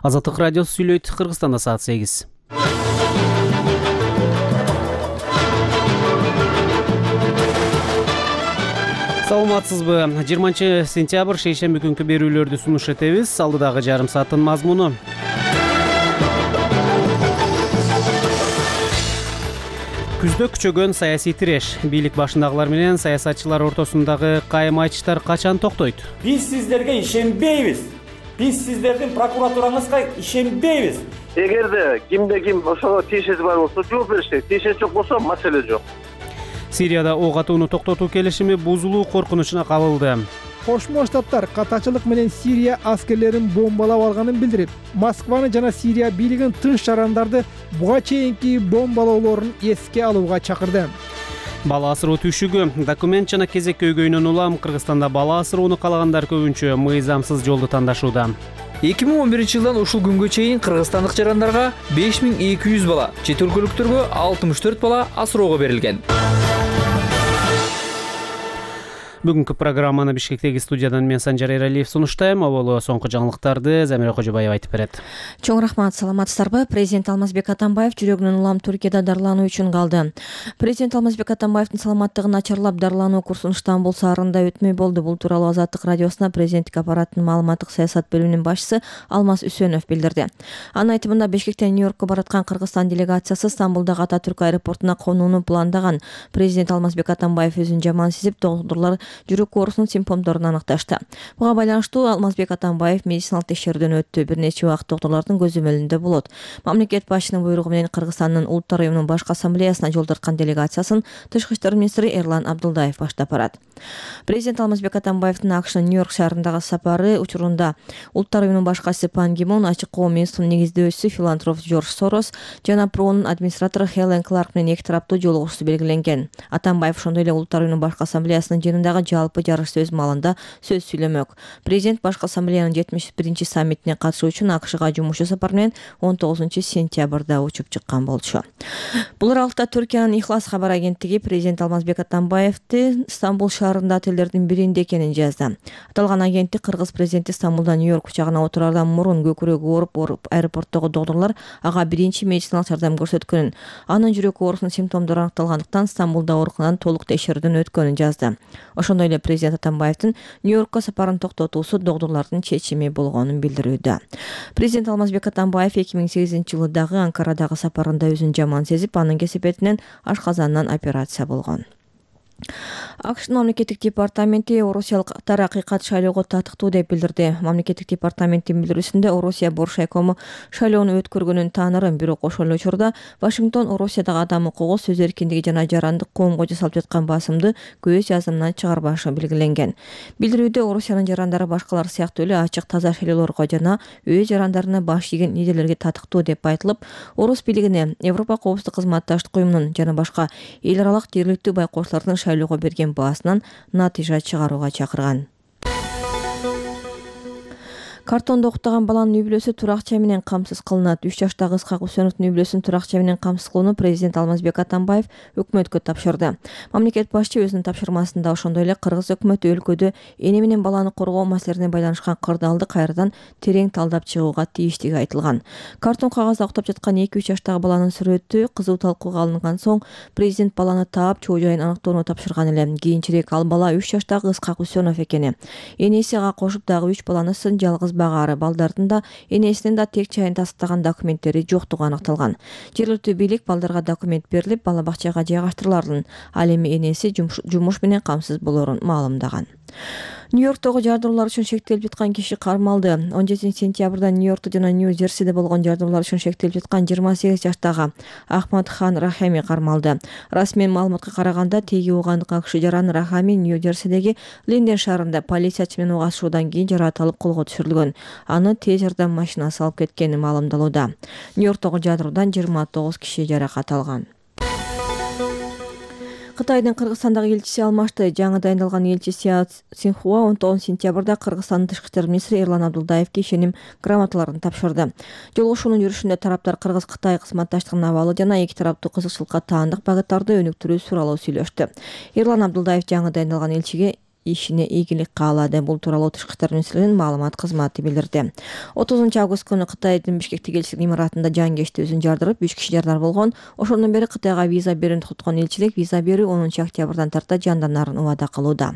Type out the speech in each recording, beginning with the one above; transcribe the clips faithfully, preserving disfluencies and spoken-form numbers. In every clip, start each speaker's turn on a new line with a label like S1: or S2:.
S1: Азаттык радиосу сүйлөйт. Кыргызстанда саат сегиз. Саламатсызбы? жыйырманчы сентябрь шейшемби күнкү берүүлөрдү сунуш этебиз. Алдыдагы жарым сааттын мазмуну. Күздө күчөгөн саясий тиреш. Бийлик башындагылар менен саясатчылар ортосундагы кайым айтыштар качан токтойт?
S2: Биз сиздерге ишенбейбиз. Биз сиздердин прокуратураңызга ишенбейбиз.
S3: Эгерде кимде ким ошого тиешеси бар болсо жооп беришет. Тиешеси жок болсо маселе жок.
S1: Сирияда ок атууну токтотуу келишими бузулуу коркунучуна кабылды.
S4: Кошмо Штаттар катачылык менен Сирия аскерлерин бомбалап алганын билдирип, Москваны жана Сирия бийлигин тынч жарандарды буга чейинки бомбалоолорун эске алууга чакырды.
S1: Бала асыроо түшүгү. Документ жана кезек көйгөйүнөн улам Кыргызстанда бала асыроону каалагандар көбүнчө мыйзамсыз жолду тандашууда.
S5: эки миң он биринчи жылдан ушул күнгө чейин кыргызстандык жарандарга беш миң эки жүз бала, чет өлкөлүктөргө алтымыш төрт бала асыроого берилген.
S1: Бүгүнкү программаны Бишкектеги студиядан мен Санжар Эралиев сунуштайм. Оболо соңку жаңылыктарды Замира Кожобаева айтып берет.
S6: Чоң рахмат, саламатсыздарбы? Президент Алмазбек Атамбаев жүрөгүнүн улам Түркияда дарылануу үчүн калды. Президент Алмазбек Атамбаевдин саламаттыгы начарлап, дарылануу курсун Стамбул шаарында өтмөй болду. Бул тууралуу Азаттык радиосуна президенттик аппараттын маалыматтык саясат бөлүмүнүн башчысы Алмаз Үсөнов билдирди. Анын айтымында Бишкектен Нью-Йоркко бараткан Кыргызстан делегациясы Стамбулдагы Ататүрк аэропортуна конууну пландаган. Президент Алмазбек Атамбаев өзүн жаман сезип, доктурлар жүрөк оорусунун симптомдорун аныкташты. Буга байланыштуу Алмазбек Атамбаев медициналык текшерүүдөн өттү. Бир нече убакыт доктурлардын көзөмөлүндө болот. Мамлекет башчынын буйругу менен Кыргызстандын Улуттар уюмунун башкы ассамблеясына жол тарткан делегациясын Тышкы иштер министри Эрлан Абдулдаев баштап барат. Президент Алмазбек Атамбаевдин АКШнын Нью-Йорк шаарындагы сапары учурунда Улуттар уюмунун башкысы Пан Ги Мун, Ачык коом институтунун негиздөөчүсү филантроп Джордж Сорос жана Пронун администратору Хелен Кларк менен эки тараптуу жолугушуу белгиленген. Атамбаев ошондой эле Улуттар уюмунун башкы ассамблеясынын жыйынындагы жалпы жарыш сөз маалында сөз сүйлөмөк. Президент башкы ассамблеянын жетимиш биринчи саммитине катышуу үчүн АКШга жумушчу сапар менен он тогузунчу сентябрда учуп чыккан болчу. Бул аралыкта Түркиянын Ихлас кабар агенттиги президент Алмазбек Атамбаевди Стамбул шаарында отелдердин биринде экенин жазды. Аталган агенттик кыргыз президенти Стамбулдан Нью-Йорк учагына отурардан мурун көкүрөгү ооруп ооруп аэропорттогу доктурлар ага биринчи медициналык жардам көрсөткөнүн, анын жүрөк оорусунун симптомдору аныкталгандыктан Стамбулда ооруканадан толук текшерүүдөн өткөнүн жазды. Ошондой эле президент Атамбаевдин Нью-Йоркко сапарын токтотуусу доктурлардын чечими болгонун билдирүүдө. Президент Алмазбек Атамбаев эки миң сегизинчи жылы дагы Анкарадагы сапарында өзүн жаман сезип, анын кесепетинен ашказанынан операция болгон. АКШнын мамлекеттик департаменти орусиялыктар акыйкат шайлоого татыктуу деп билдирди. Мамлекеттик департаменттин билдирүүсүндө Орусия Боршайкому шайлоону өткөргөнүн таанырын, бирок ошол эле учурда Вашингтон Орусиядагы адам укугу, сөз эркиндиги жана жарандык коомго жасалып жаткан басымды көз жазымынан чыгарбашы белгиленген. Билдирүүдө Орусиянын жарандары башкалар сыяктуу эле ачык, таза шайлоолорго жана өз жарандарына баш ийген лидерлерге татыктуу деп айтылып, Орус бийлигине, Европа коопсуздук кызматташтык уюмунун жана башка эл аралык жергиликтүү байкоочулардын шайлоого берген баасынан натыйжа чыгарууга чакырган. Картондо уктаган баланын үй бүлөсү туракча менен камсыз кылынат. үч жаштагы Ысқақ Үсөновдун үй бүлөсүн туракча менен камсыз кылууну президент Алмазбек Атамбаев өкмөткө тапшырды. Мамлекет башчы өзүнүн тапшырмасында ошондой эле кыргыз өкмөтү өлкөдө эне менен баланы коргоо маселелерине байланышкан кырдаалды кайрадан терең талдап чыгууга тийиштиги айтылган. Картон кагазда уктап жаткан эки үч жаштагы баланын сүрөтү кызуу талкууга алынган соң президент баланы таап чоо жайын аныктоону тапшырган эле. Кийинчерээк ал бала үч жаштагы Ысқақ Үсөнов экени. Энеси ага кошуп дагы үч баланысын жалгыз багаары, балдардын да энесинин да тек чайын тастыган документтери жоктугу аныкталган. Жергиликтүү бийлик балдарга документ берилип, бала бакчага жайгаштырыларын, ал эми энеси жумуш менен камсыз болорун маалымдаган. Нью-Йорктогу жардыруулар үчүн шектелип жаткан киши кармалды. он жетинчи сентябрда Нью-Йоркто жана Нью-Джерсиде болгон жардыруулар үчүн шектелип жаткан жыйырма сегиз жаштагы Ахмад Хан Рахами кармалды. Расмий маалыматка караганда, теги уугандыкка киши жаран Рахами Нью-Джерсидеги Линден шаарында полициячы менен угашуudan кийин жараат алып колго түшүрүлгөн. Аны тез жардам машинасы алып кеткени маалымдалууда. Нью-Йорктогу жардыруудан жыйырма тогуз киши жаракат алган. Кытайдын Кыргызстандагы элчиси алмашты. Жаңы дайындалган элчи Сяо Цинхуа он тогузунчу сентябрда Кыргызстандын тышкы иштер министри Эрлан Абдулдаевге ишеним грамоталарын тапшырды. Жолугушуунун жүрүшүндө тараптар Кыргыз-Кытай кызматташтыгынын абалы жана эки тараптуу кызыкчылыкка таандык багыттарды өнүктүрүү тууралуу сүйлөштү. Эрлан Абдулдаев жаңы дайындалган элчиге ишине ийгилик каалады. Бул тууралуу Тышкы иштер министрлигинин маалымат кызматы билдирди. отузунчу август күнү Кытайдын Бишкектеги элчилик имаратында жангештүүсүн жардырып, үч киши жардар болгон. Ошондон бери Кытайга виза берүүнү токтоткон элчилик виза берүү онунчу октябрдан тарта жанданарын убада кылууда.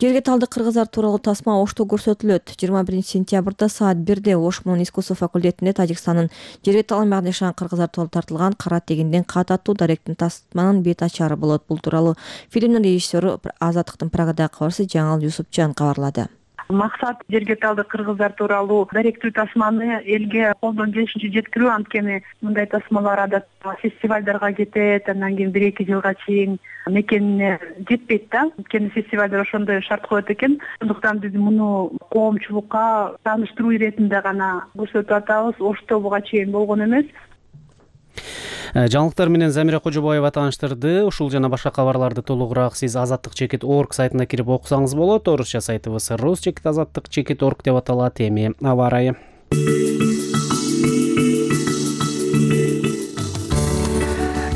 S6: Жерге талдык кыргыздар тууралуу тасма Ошто көрсөтүлөт. жыйырма биринчи сентябрда саат бирде Ош менен искусство факультетинде Тажикстандын жерге талмагында жашаган кыргыздар тууралуу тартылган Кара тегинден кат аттуу даректин тасманын бет ачары болот. Бул тууралуу фильмдин режиссеру Азаттыктын Прагадагы кабарчысы Жаңыл Юсупжан кабарлады.
S7: Максат жерге талдык кыргыздар тууралуу даректүү тасманы элге колдон келишинче жеткирүү. Анткени мындай тасмалар адатта фестивалдарга кетет, андан кийин бир эки жылга чейин мекенине жетпейт да. Анткени фестивалдар ошондой шарт коет экен. Ошондуктан биз муну коомчулукка тааныштыруу иретинде гана көрсөтүп атабыз. Ошто буга чейин болгон эмес.
S1: Жаңылыктар менен Замира Кожобаева тааныштырды. Ушул жана башка кабарларды толугураак сиз азаттык чекит орг сайтына кирип окусаңыз болот. Орусча сайтыбыз рус чекит азаттык чекит орг деп аталат. Эми аба ырайы.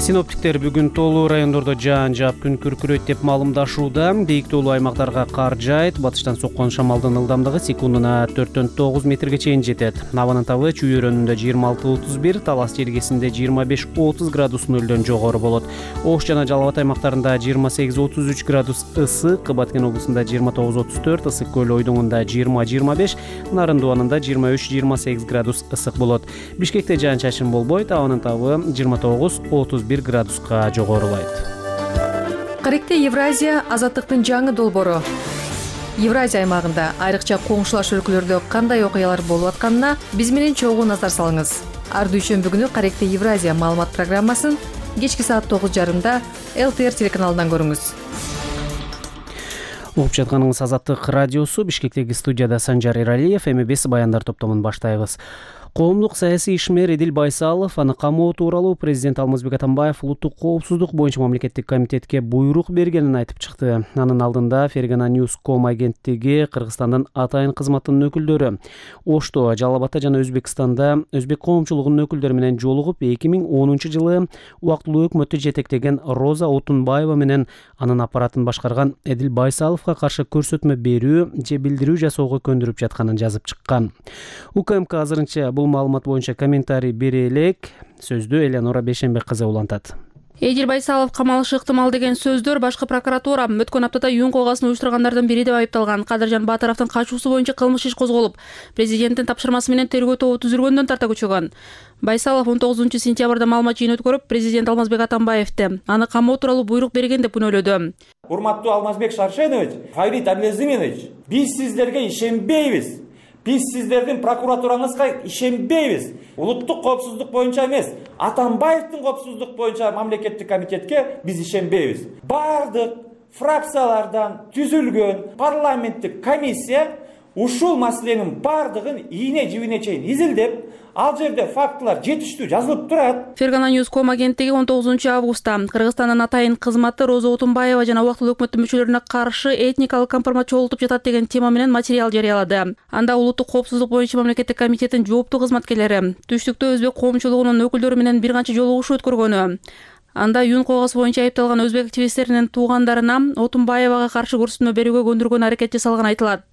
S1: Синоптиктер бүгүн тоолуу райондордо жаан жаап күн күркүрөйт деп маалымдашууда. Бийиктүүлүү аймактарга кар жаайт. Батыштан соккон шамалдын ылдамдыгы секундуна төрттөн тогуз метрге чейин жетет. Абанын табы Чүй өрөөнүндө жыйырма алты отуз бир, Талас жергесинде жыйырма беш отуз градус нөлдөн жогору болот. Ош жана Жалал Абад аймактарында жыйырма сегиз отуз үч градус ысык, Баткен облусунда жыйырма тогуз отуз төрт, Ысык көл ойдоңунда жыйырма жыйырма беш, Нарындуу анында жыйырма үч жыйырма сегиз градус ысык болот. Бишкекте жаан-чачын болбойт, абанын табы жыйырма тогуз отуз бир градуска жогорулайт.
S8: Каректе Евразия азаттыктын жаңы долбоору. Евразия аймагында айрыкча коңшулаш өлкөлөрдө кандай окуялар болуп атканына биз менен чогуу назар салыңыз. Ар дүйшөмбү күнү Каректе Евразия маалымат программасын кечки саат тогуз жарымда эл тэ эр телеканалынан көрүңүз.
S1: Угуп жатканыңыз Азаттык радиосу. Бишкектеги студияда Санжар Эралиев. Эми бес баяндар топтомун баштайбыз. Коомдук саясий ишмер Эдил Байсалов аны камоо тууралуу президент Алмазбек Атамбаев улуттук коопсуздук боюнча мамлекеттик комитетке буйрук бергенин айтып чыкты. Анын алдында Фергана News точка ком агенттиги Кыргызстандын атайын кызматынын өкүлдөрү Ошто, Жалал Абадта жана Өзбекстанда өзбек коомчулугунун өкүлдөрү менен жолугуп эки миң онунчу жылы убактылуу өкмөттү жетектеген Роза Отунбаева менен анын аппаратын башкарган Эдил Байсаловго каршы көрсөтмө берүү же билдирүү жасоого көндүрүп жатканын жазып чыккан. УКМК азырынча бул маалымат боюнча комментарий бере элек. Сөздү Элеонора Бейшенбек кызы улантат.
S8: Эдил Байсалов камалышы ыктымал деген сөздөр башкы прокуратура өткөн аптада юун колгасын уюштургандардын бири деп айыпталган Кадыржан Батыровдун качуусу боюнча кылмыш иш козголуп, президенттин тапшырмасы менен тергөө тобу түзүлгөндөн тарта күчөгөн. Байсалов он тогузунчу сентябрда маалымат жыйын өткөрүп, президент Алмазбек Атамбаевди аны камоо тууралуу буйрук берген деп күнөөлөдү.
S2: Урматтуу Алмазбек Шаршенович, Фарид Абдулазимович, биз сиздерге ишенбейбиз. Биз сиздердин прокуратураңызга ишенбейбиз. Улуттук коопсуздук боюнча эмес, Атамбаевдин коопсуздук боюнча мамлекеттик комитетке биз ишенбейбиз. Бардык фракциялардан түзүлгөн парламенттик комиссия ушул маселенин бардыгын ийне жибине чейин изилдеп, ал жерде фактылар жетиштүү жазылып турат.
S8: Фергана News точка ком агенттиги он тогузунчу августта Кыргызстандын атайын кызматы Роза Отунбаева жана убактылуу өкмөттүн мүчөлөрүнө каршы этникалык компромат чогултуп жатат деген тема менен материал жарыялады. Анда улуттук коопсуздук боюнча мамлекеттик комитеттин жооптуу кызматкерлери түштүктө өзбек коомчулугунун өкүлдөрү менен бир канча жолугушуу өткөргөнү. Анда юун колгосу боюнча айыпталган өзбек активисттеринин туугандарына Отунбаевага каршы көрсөтмө берүүгө көндүргөн аракет жасалганы айтылат.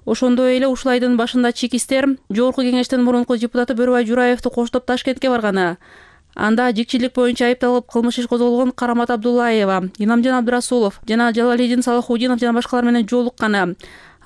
S8: Ошондой эле ушул айдын башында чекистер Жогорку кеңештин мурунку депутаты Бөрүбай Жураевди коштоп Ташкентке барганы. Анда жикчилик боюнча айыпталып кылмыш иш козголгон Карамат Абдуллаева, Инамжан Абдырасулов жана Жалалидин Салахудинов жана башкалар менен жолукканы.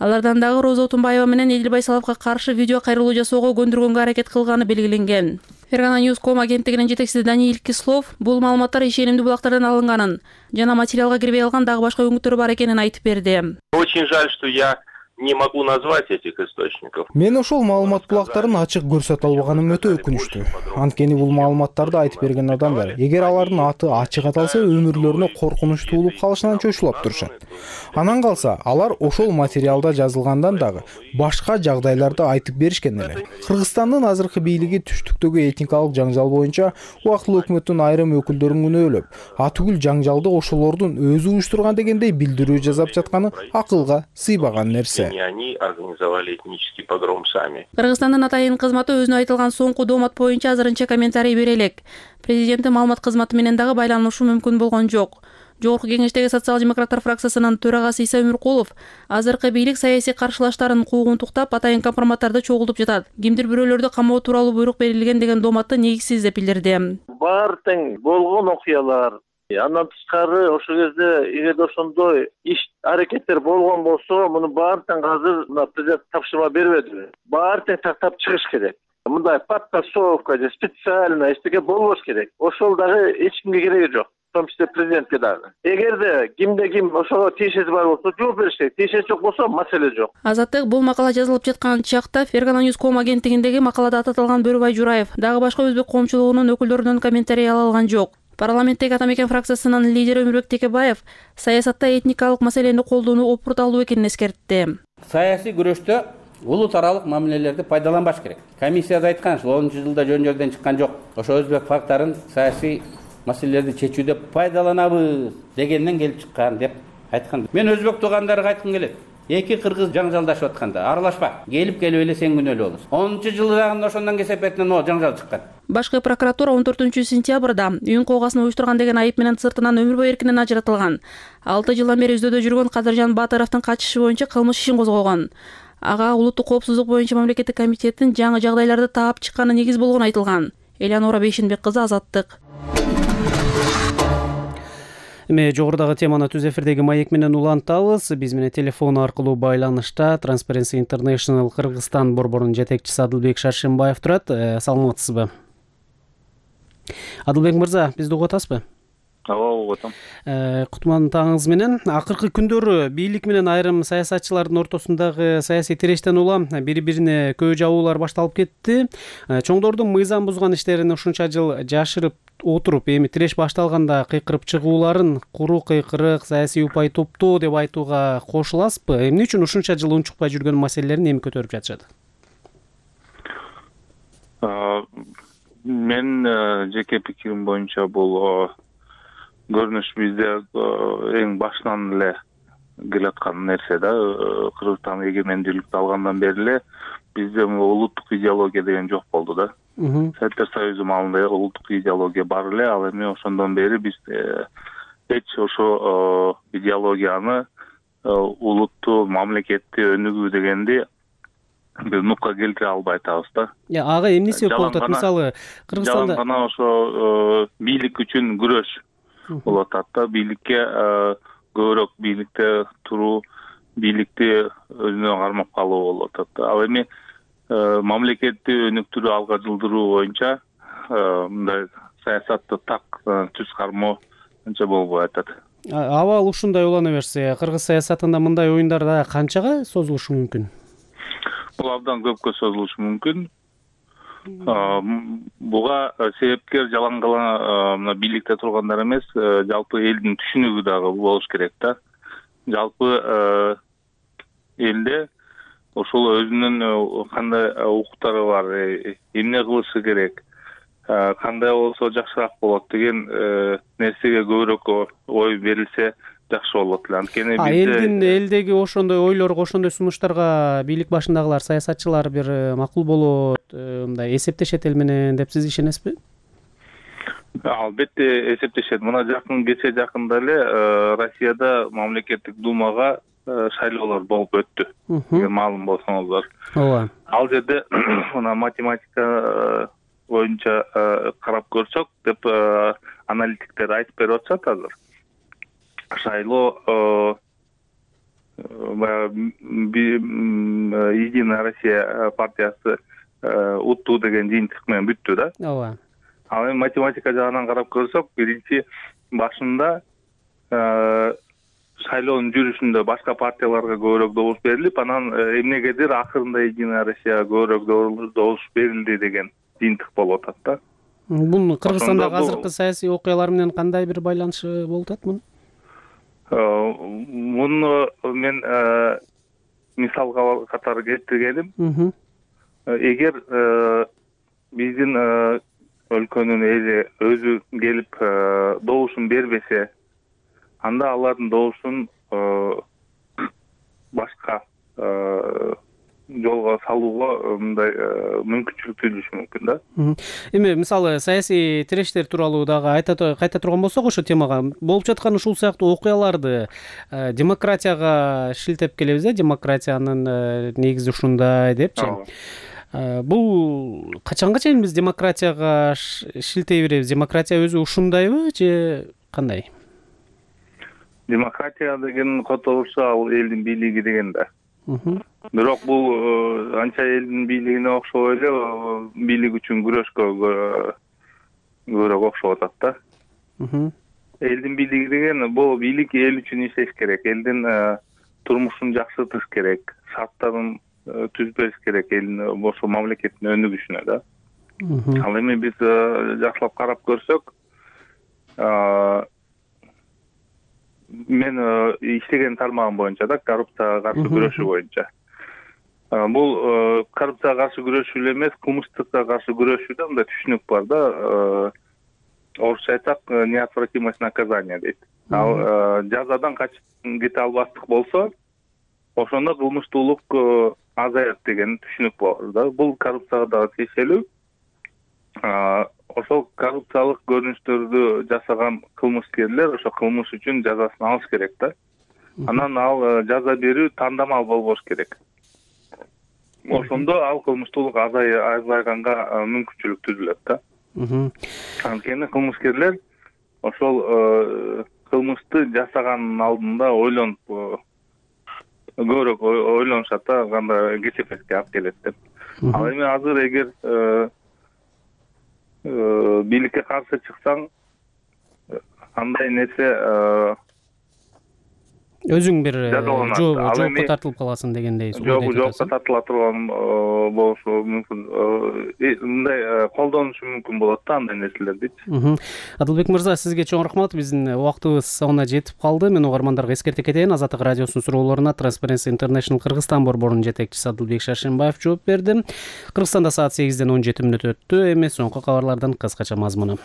S8: Алардан дагы Роза Отунбаева менен Эдил Байсаловго каршы видео кайрылуу жасоого көндүргөнгө аракет кылганы белгиленген. Фергана News точка ком агенттигинин жетекчиси Даниил Кислов бул маалыматтар ишенимдүү булактардан алынганын жана материалга кирбей калган дагы башка өңүттөрү бар экенин айтып берди.
S3: Очень жаль, что я не могу назвать этих источников.
S9: Мен ошол маалымат булактарын ачык көрсөтө албаганым өтө өкүнүчтүү. Анткени бул маалыматтарды айтып берген адамдар, эгер алардын аты ачык аталса, өмүрлөрүнө коркунуч туулуп калышынан чочулап турушат. Анан калса, алар ошол материалда жазылгандан дагы башка жагдайларды айтып беришкен эле. Кыргызстандын азыркы бийлиги түштүктөгү этникалык жаңжал боюнча убактылуу өкмөттүн айрым өкүлдөрүн күнөөлөп, атүгүл жаңжалды ошолордун өзү уюштурган дегендей билдирүү жасап жатканы акылга сыйбаган нерсе.
S3: Они организовали этнический погром сами.
S8: Кыргызстандын атайын кызматы өзүнө айтылган соңку доомат боюнча азырынча комментарий бере элек. Президенттин маалымат кызматы менен дагы байланышуу мүмкүн болгон жок. Жогорку кеңештеги социал демократтар фракциясынын төрагасы Иса Өмүркулов азыркы бийлик саясий каршылаштарын куугунтуктап атайын компроматтарды чогултуп жатат. Кимдир бирөөлөрдү камоо тууралуу буйрук берилген деген дооматты негизсиз деп билдирди.
S3: Баары тең болгон окуялар, андан тышкары ошол кезде эгерде ошондой иш аракеттер болгон болсо, муну баары тең азыр мына президент тапшырма бербедиби? Баары тең тактап чыгыш керек. Мындай подтасовка же специально эчтеке болбош керек. Ошол дагы эч кимге кереги жок. В том числе президентке дагы. Эгерде кимде ким ошого тиешеси бар болсо жооп бериш керек. Тиешеси жок болсо маселе жок.
S8: Азаттык бул макала жазылып жаткан чакта Fergana News ком агенттигиндеги макалада ататылган Бөрүбай Жураев дагы башка өзбек коомчулугунун өкүлдөрүнөн комментарий ала алган жок. Парламенттеги Ата Мекен фракциясынын лидери Өмүрбек Текебаев саясатта этникалык маселени колдонуу опурталуу экенин эскертти.
S10: Саясий күрөштө улут аралык мамилелерди пайдаланбаш керек. Комиссияда айткан, онунчу жылда жөн жөрдөн чыккан жок. Ошо өзбек фактарын саясий маселелерди чечүүдө пайдаланабыз дегенден келип чыккан деп айткан. Мен өзбек туугандарга айткым келет. Эки кыргыз жаңжалдашып атканда аралашпа. Келип келип эле сен күнөөлүү болосуң. онунчу жылдагы ошондон кесепетинен о жаңжал чыккан.
S8: Башкы прокуратура он төртүнчү сентябрда үйүн коогасын уюштурган деген айып менен сыртынан өмүр бою эркинен ажыратылган. алты жылдан бери издөөдө жүргөн Кадыржан Батыровдун качышы боюнча кылмыш ишин козгогон. Ага улуттук коопсуздук боюнча мамлекеттик комитеттин жаңы жагдайларды таап чыкканы негиз болгону айтылган. Элеонора Бейшенбек кызы, Азаттык.
S1: Эми жогорудагы теманы түз эфирдеги маек менен улантабыз. Биз менен телефон аркылуу байланышта Transparency International Кыргызстан борборунун жетекчиси Адылбек Шаршембаев турат. Саламатсызбы? Адылбек мырза, бизди угуп атасызбы?
S11: Ооба, угуп атам.
S1: Кутман таңыңыз менен. Акыркы күндөрү бийлик менен айрым саясатчылардын ортосундагы саясий тирештен улам бири-бирине көө жабуулар башталып кетти. Чоңдордун мыйзам бузган иштерин ушунча жыл жашырып отуруп, эми тиреш башталганда кыйкырып чыгууларын куру кыйкырык, саясий упай топтоо деп айтууга кошуласызбы? Эмне үчүн ушунча жыл унчукпай жүргөн маселелерин эми көтөрүп жатышат?
S11: Мен жеке пикирим боюнча бул көрүнүш бизде эң башынан эле келаткан нерсе да. Кыргызстан эгемендүүлүктү алгандан бери эле бизде улуттук идеология деген жок болду да. Советтер Союзу маалында улуттук идеология бар эле, ал эми ошондон бери биз эч ошо идеологияны улутту, мамлекетти өнүгүү дегенди биз нукка келтире албай атабыз да.
S1: Ага эмне себеп болуп атат? Мисалы, Кыргызстанда
S11: жалаң гана ошо бийлик үчүн күрөш болуп атат да. Бийликке көбүрөөк бийликте туруу, бийликти өзүнө кармап калуу болуп атат да. Ал эми мамлекетти өнүктүрүү, алга жылдыруу боюнча мындай саясатты так түз кармоо анча болбой атат.
S1: Абал ушундай улана берсе, кыргыз саясатында мындай оюндар да канчага созулушу мүмкүн?
S11: Бул абдан көпкө созулушу мүмкүн. Буга себепкер жалаң гана мына бийликте тургандар эмес, жалпы элдин түшүнүгү дагы болуш керек да. Жалпы элде ошол өзүнүн кандай укуктары бар, эмне кылышы керек, кандай болсо жакшыраак болот деген нерсеге көбүрөөк ой берилсе жакшы болот эле. Анткени бизде
S1: элдин элдеги ошондой ойлорго, ошондой сунуштарга бийлик башындагылар, саясатчылар бир макул болот, мындай эсептешет эл менен деп сиз ишенесизби?
S11: Албетте эсептешет. Мына жакын кече жакында эле Россияда мамлекеттик думага шайлоолор болуп өттү. Маалым болсоңуздар.
S1: Ооба.
S11: Ал жерде мына математика боюнча карап көрсөк деп аналитиктер айтып берип атышат азыр. Шайлоо Единая Россия партиясы уттуу деген жыйынтык менен бүттү да.
S1: Ооба.
S11: Ал эми математика жагынан карап көрсөк, биринчи башында шайлоонун жүрүшүндө башка партияларга көбүрөөк добуш берилип, анан эмнегедир акырында Единая Россия көбүрөөк добуш берилди деген жыйынтык болуп атат да.
S1: Бул Кыргызстандагы азыркы саясий окуялар менен кандай бир байланышы болуп атат мунун?
S11: Муну мен мисал катары келтиргеним. Эгер биздин өлкөнүн эли өзү келип добушун бербесе, анда алардын добушун башка жолго салууга мындай мүмкүнчүлүк түйүлүшү мүмкүн да.
S1: Эми мисалы саясий тирештер тууралуу дагы кайта турган болсок ошол темага, болуп жаткан ушул сыяктуу окуяларды демократияга шилтеп келебиз э, демократиянын негизи ушундай депчи. Бул качанга чейин биз демократияга шилтей беребиз? Демократия өзү ушундайбы же кандай?
S11: Демократия деген которулса ал элдин бийлиги деген да. Бирок бул анча элдин бийлигине окшобой эле бийлик үчүн күрөшкө көбүрөөк окшоп атат да. Элдин бийлиги деген бул бийлик эл үчүн иштеш керек, элдин турмушун жакшыртыш керек, шарттарын түзбөш керек, элдин ошо мамлекеттин өнүгүшүнө да. Ал эми биз жакшылап карап көрсөк, мен иштеген тармагым боюнча да, коррупцияга каршы күрөшүү боюнча. Бул коррупцияга каршы күрөшүү эле эмес, кылмыштыкка каршы күрөшүүдө мындай түшүнүк бар да. Орусча айтсак, неотвратимость наказания дейт. Ал жазадан качып кете албастык болсо, ошондо кылмыштуулук азаят деген түшүнүк бар да. Бул коррупцияга дагы тиешелүү. Ошол коррупциялык көрүнүштөрдү жасаган кылмышкерлер ошо кылмыш үчүн жазасын алыш керек да. Анан ал жаза берүү тандамал болбош керек. Ошондо ал кылмыштуулук азайганга мүмкүнчүлүк түзүлөт да. Анткени кылмышкерлер ошол кылмышты жасаганын алдында ойлонуп, көбүрөөк ойлонушат да, кандай кесепетке алып келет деп. Ал эми азыр эгер бийликке каршы чыксаң, андай нерсе
S1: өзүң бир жоопко тартылып каласың дегендей.
S11: Жоопко тартыла турган болушу мүмкүн. Мындай колдонушу мүмкүн болот да андай нерселерди.
S1: Адылбек мырза, сизге чоң рахмат. Биздин убактыбыз соңуна жетип калды. Мен угармандарга эскерте кетейин. Азаттык радиосунун суроолоруна Transparency International Кыргызстан борборунун жетекчиси Адылбек Шаршенбаев жооп берди. Кыргызстанда саат сегизден он жети мүнөт өттү. Эми соңку кабарлардын кыскача мазмуну.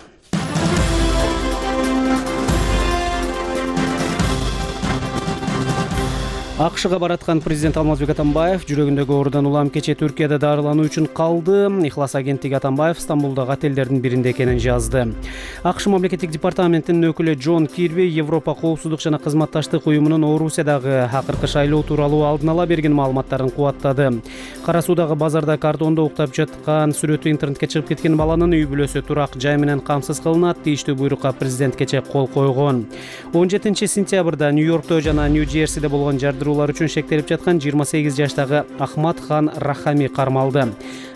S1: АКШга бараткан президент Алмазбек Атамбаев жүрөгүндөгү оорудан улам кечээ Түркияда дарылануу үчүн калды. Ихлас агенттиги Атамбаев Стамбулдагы отелдердин биринде экенин жазды. АКШ мамлекеттик департаментинин өкүлү Джон Кирби Европа коопсуздук жана кызматташтык уюмунун Орусиядагы акыркы шайлоо тууралуу алдын ала берген маалыматтарын кубаттады. Кара Суудагы базарда картондо уктап жаткан сүрөтү интернетке чыгып кеткен баланын үй бүлөсү турак жай менен камсыз кылынат. Тийиштүү буйрукка президент кечээ кол койгон. он жетинчи сентябрда Нью-Йоркто жана Нью-Джерсиде болгон жардыруу үчүн шектелип жаткан жыйырма сегиз жаштагы Ахмат Хан Рахами кармалды.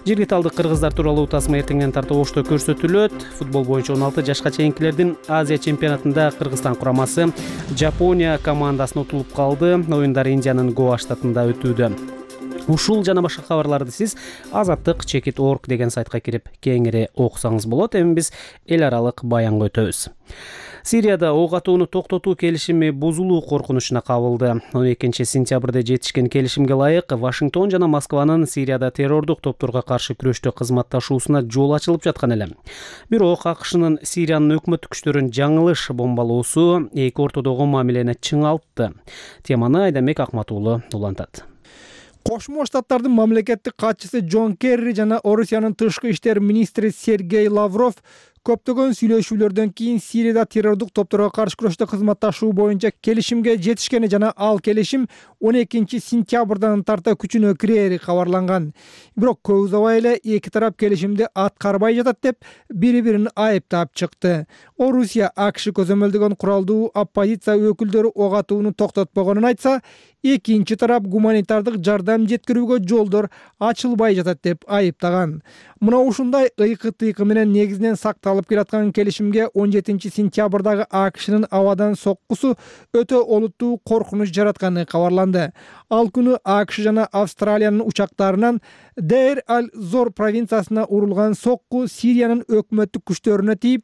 S1: Жергиликтүү талдык кыргыздар тууралуу тасма эртеңден тартып ошто көрсөтүлөт. Футбол боюнча он алты жашка чейинкилердин Азия чемпионатында Кыргызстан курамасы Жапония командасына утулуп калды. Оюндар Индиянын Гоа штатында өтүүдө. Ушул жана башка кабарларды сиз азаттык чекит точка орг деген сайтка кирип кеңири окусаңыз болот. Эми биз эл аралык баянга өтөбүз. Сирияда ок атууну токтотуу келишими бузулуу коркунучуна кабылды. он экинчи сентябрда жетишкен келишимге ылайык Вашингтон жана Москванын Сирияда террордук топторго каршы күрөштө кызматташуусуна жол ачылып жаткан эле. Бирок АКШнын Сириянын өкмөттүк күчтөрүн жаңылыш бомбалоосу эки ортодогу мамилени чыңалтты. Теманы Айдамек Акматуулу улантат.
S4: Кошмо Штаттардын мамлекеттик катчысы Джон Керри жана Орусиянын тышкы иштер министри Сергей Лавров көптөгөн сүйлөшүүлөрдөн кийин Сирияда террордук топторго каршы күрөштө кызматташуу боюнча келишимге жетишкени жана ал келишим он экинчи сентябрдан тарта күчүнө кирери кабарланган. Бирок көп узабай эле эки тарап келишимди аткарбай жатат деп бири-бирин айыптап чыкты. Орусия АКШ көзөмөлдөгөн куралдуу оппозиция өкүлдөрү ок атууну токтотпогонун айтса, экинчи тарап гуманитардык жардам жеткирүүгө жолдор ачылбай жатат деп айыптаган. Мына ушундай ыйкы-тыйкы менен негизинен сакталып келаткан келишимге он жетинчи сентябрдагы АКШнын абадан соккусу өтө олуттуу коркунуч жаратканы кабарланды. Ал күнү АКШ жана Австралиянын учактарынан Дейр-аль-Зор провинциясына урулган сокку Сириянын өкмөттүк күчтөрүнө тийип,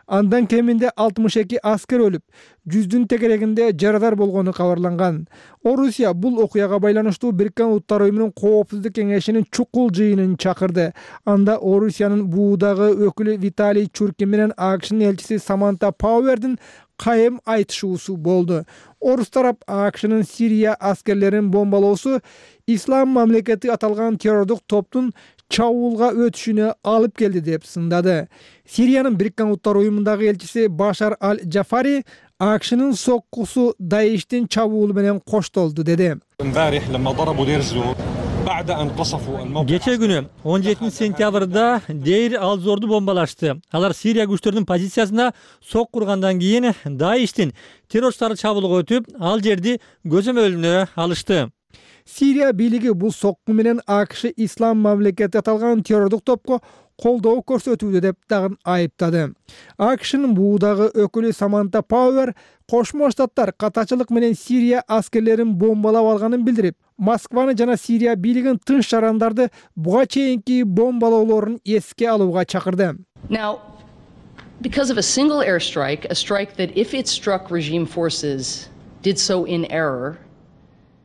S4: андан кеминде алтымыш эки аскер өлүп, жүздүн тегерегинде жарадар болгону кабарланган. Орусия бул окуяга байланыштуу Бириккен Улуттар уюмунун коопсуздук кеңешинин чукул жыйынын чакырды. Анда Орусиянын буудагы өкүлү Виталий Чуркин менен АКШнын элчиси Саманта Пауэрдин кайым айтышуусу болду. Орус тарап АКШнын Сирия аскерлерин бомбалоосу Ислам мамлекети аталган террордук топтун чабуулга өтүшүнө алып келди деп сындады. Сириянын Бириккен Улуттар уюмундагы элчиси Башар аль-Джафари АКШнын соккусу Даиштин чабуулу менен коштолду деди.
S12: Кече күнү он жетинчи сентябрда Дейр ал-Зорду бомбалашты. Алар Сирия күчтөрүнүн позициясына сок кургандан кийин Даиштин террорчулары чабуулга өтүп, ал жерди көзөмөлүнө алышты.
S4: Сирия бийлиги бул сокку менен АКШ Ислам мамлекети аталган террордук топко колдоо көрсөтүүдө деп дагы айыптады. АКШнын буудагы өкүлү Саманта Пауэр Кошмо Штаттар катачылык менен Сирия аскерлерин бомбалап алганын билдирип, Москваны жана Сирия бийлигин тынч жарандарды буга чейинки бомбалоолорун эске алууга чакырды.
S13: Now, because of a single airstrike, a strike that if it struck regime forces did so in error,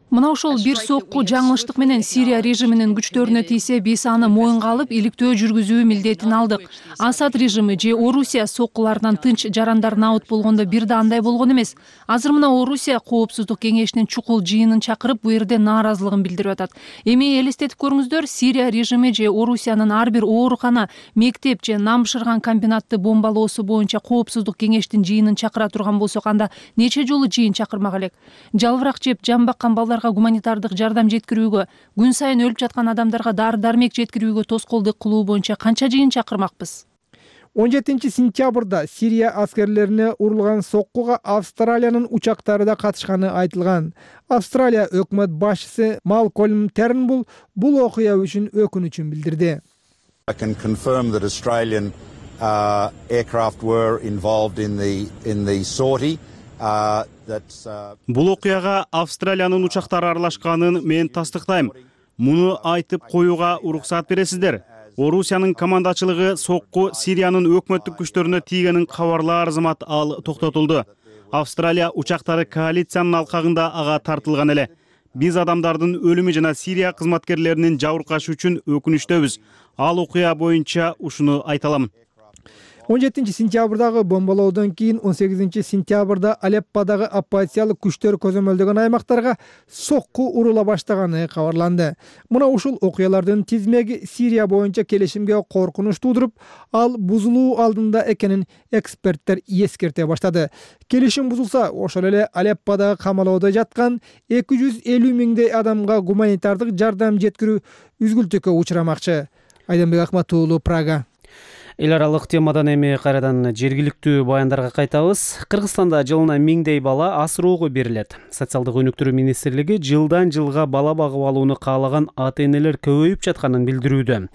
S14: Мына ошол бир сокку жаңылыштык менен Сирия режиминин күчтөрүнө тийсе, биз аны моюнга алып, иликтөө жүргүзүү милдетин алдык. Асад режими же Орусия соккуларынан тынч жарандар набыт болгондо бир да андай болгон эмес. Азыр мына Орусия Коопсуздук кеңешинин чукул жыйынын чакырып, бу жерде нааразылыгын билдирип атат. Эми элестетип көрүңүздөр, Сирия режими же Орусиянын ар бир оорукана, мектеп же нам бышырган комбинатты бомбалоосу боюнча Коопсуздук кеңештин жыйынын чакыра турган болсок, анда нече жолу жыйын чакырмак элек. Жалбырак жеп, жан баккан балдар гуманитардык жардам жеткирүүгө, күн сайын өлүп жаткан адамдарга дары-дармек жеткирүүгө тоскоолдук кылуу боюнча канча жыйын чакырмакпыз?
S4: он жетинчи сентябрда Сирия аскерлерине урулган соккуга Австралиянын учактары да катышканы айтылган. Австралия өкмөт башчысы Малкольм Тернбул бул окуя үчүн өкүнүчүн билдирди.
S15: I can confirm that Australian uh, aircraft were involved in the in the sortie.
S16: Бул окуяга Австралиянын учактары аралашканын мен тастыктайм. Муну айтып коюуга уруксат бересиздер. Орусиянын командачылыгы сокку Сириянын өкмөттүк күчтөрүнө тийгенин кабарлаар зымат ал токтотулду. Австралия учактары коалициянын алкагында ага тартылган эле. Биз адамдардын өлүмү жана Сирия кызматкерлеринин жабыркашы үчүн өкүнүчтөбүз. Ал окуя боюнча ушуну айта алам.
S4: он жетинчи сентябрдагы бомбалоодон кийин он сегизинчи сентябрда Алепподагы оппозициялык күчтөр көзөмөлдөгөн аймактарга сокку урула баштаганы кабарланды. Мына ушул окуялардын тизмеги Сирия боюнча келишимге коркунуч туудуруп, ал бузулуу алдында экенин эксперттер эскерте баштады. Келишим бузулса, ошол эле Алепподагы камалоодо жаткан эки жүз элүү миңдей адамга гуманитардык жардам жеткирүү үзгүлтүккө учурамакчы. Айданбек Акматуулу, Прага.
S1: Эл аралык темадан эми кайрадан жергиликтүү баяндарга кайтабыз. Кыргызстанда жылына миңдей бала асыроого берилет. Социалдык өнүктүрүү министрлиги жылдан жылга бала багып алууну каалаган ата-энелер көбөйүп жатканын билдирүүдө.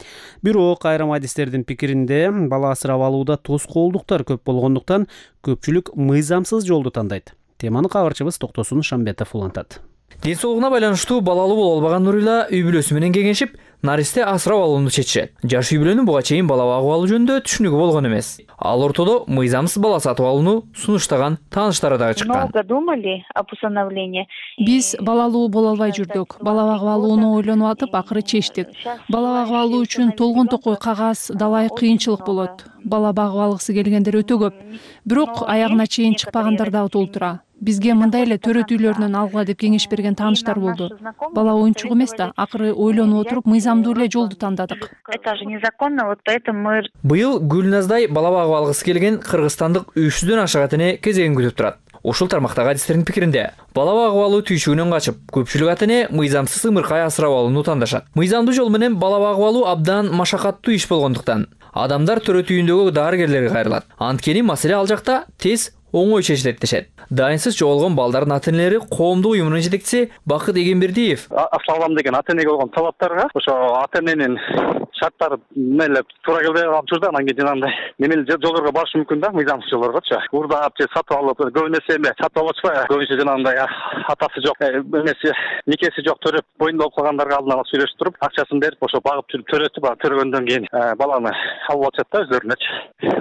S1: Бирок айрым адистердин пикиринде бала асырап алууда тоскоолдуктар көп болгондуктан көпчүлүк мыйзамсыз жолду тандайт. Теманы кабарчыбыз Токтосун Шамбетов улантат.
S5: Ден соолугуна байланыштуу балалуу боло албаган Нурила үй бүлөсү менен кеңешип, наристе асырап алууну чечишет. Жаш үй бүлөнүн буга чейин бала багып алуу жөнүндө түшүнүгү болгон эмес. Ал ортодо мыйзамсыз бала сатып алууну сунуштаган тааныштары дагы чыккан.
S14: Биз балалуу боло албай жүрдүк. Бала багып алууну ойлонуп атып, акыры чечтик. Бала багып алуу үчүн толгон токой кагаз, далай кыйынчылык болот. Бала багып алгысы келгендер өтө көп. Бирок аягына чейин чыкпагандар дагы толтура. Бизге мындай эле төрөт үйлөрүнөн алгыла деп кеңеш берген тааныштар болду. Бала оюнчук эмес да, акыры ойлонуп отуруп мыйзамдуу эле жолду тандадык.
S5: Быйыл Гүлназдай бала багып алгысы келген кыргызстандык үч жүздөн ашык ата-эне кезегин күтүп турат. Ушул тармактагы адистердин пикиринде, бала багып алуу түйшүгүнөн качып, көпчүлүк ата-эне мыйзамсыз ымыркай асырап алууну тандашат. Мыйзамдуу жол менен бала багып алуу абдан машакаттуу иш болгондуктан адамдар төрөт үйүндөгү дарыгерлерге кайрылат. Анткени маселе ал жакта тез оңой чечилет дешет. Дайынсыз жоолгон балдардын ата-энелери коомдук уюмунун жетекчиси Бакыт Эгембердиев.
S17: Аслалам деген ата-энеге болгон талаптарга ошо ата-эненин шарттары меле туура келбей калган учурда анан кийин жанагындай немели жолдорго барышы мүмкүн да, мыйзамсыз жолдоргочу. Урдап же сатып алып, көбүнесе эме сатып алып атышпайбы? Көбүнчө жанагындай атасы жок, эмеси никеси жок төрөп боюнда болуп калгандарга алдын ала сүйлөшүп туруп, акчасын берип, ошо багып жүрүп төрөтүп, төрөгөндөн кийин баланы алып атышат да өздөрүнөчү.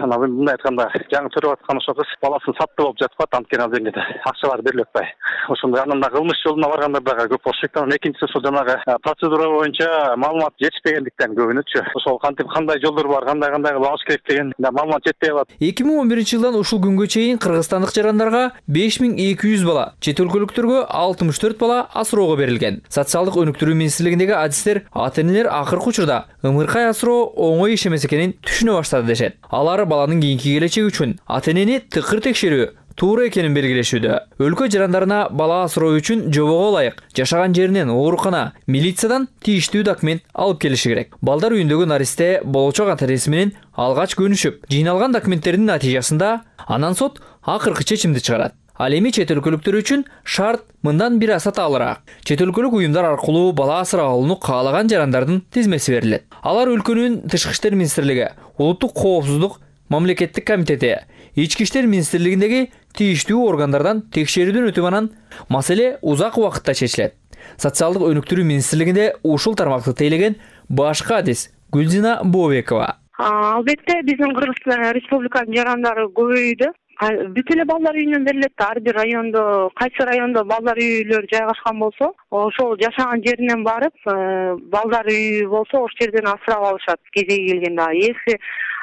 S17: Анан мындай айтканда, жаңы төрөп аткан ошо кыз баласын сатты болуп жатып атат, анткени ал деңгээлде акчалар берилип атпай. Ошондой анан да кылмыш жолуна баргандар дагы көп болуш керек. Анан экинчиси ошол жанагы процедура боюнча маалымат жетишпегендиктен көбүнөчү. Ошол кантип кандай жолдор бар, кандай кандай кылып алыш керек деген маалымат жетпей калат.
S5: эки миң он биринчи жылдан ушул күнгө чейин кыргызстандык жарандарга беш миң эки жүз бала, чет өлкөлүктөргө алтымыш төрт бала асыроого берилген. Социалдык өнүктүрүү министрлигиндеги адистер ата-энелер акыркы учурда ымыркай асыроо оңой иш эмес экенин түшүнө баштады дешет. Алар баланын кийинки келечеги үчүн ата-энени тыкыр текшерүү туура экенин белгилешүүдө. Өлкө жарандарына бала асыроо үчүн жобого ылайык жашаган жеринен оорукана, милициядан тийиштүү документ алып келиши керек. Балдар үйүндөгү наристе болочок ата-энеси менен алгач көнүшүп, жыйналган документтердин натыйжасында анан сот акыркы чечимди чыгарат. Ал эми чет өлкөлүктөр үчүн шарт мындан бир аса таалыраак. Чет өлкөлүк уюмдар аркылуу бала асырап алууну каалаган жарандардын тизмеси берилет. Алар өлкөнүн Тышкы иштер министрлиги, Улуттук коопсуздук мамлекеттик комитети, Ички иштер министрлигиндеги тийиштүү органдардан текшерүүдөн өтүп анан маселе узак убакытта чечилет. Социалдык өнүктүрүү министрлигинде ушул тармакты тейлеген башкы адис Гүлзина Бобекова.
S7: Албетте биздин Кыргызстан Республиканын жарандары көбөйдү. Бүт эле балдар үйүнөн берилет. Ар бир райондо, кайсы райондо балдар үйлөр жайгашкан болсо, ошол жашаган жеринен барып, балдар үйү болсо, ошол жерден асырап алышат кезеги келгенде. Если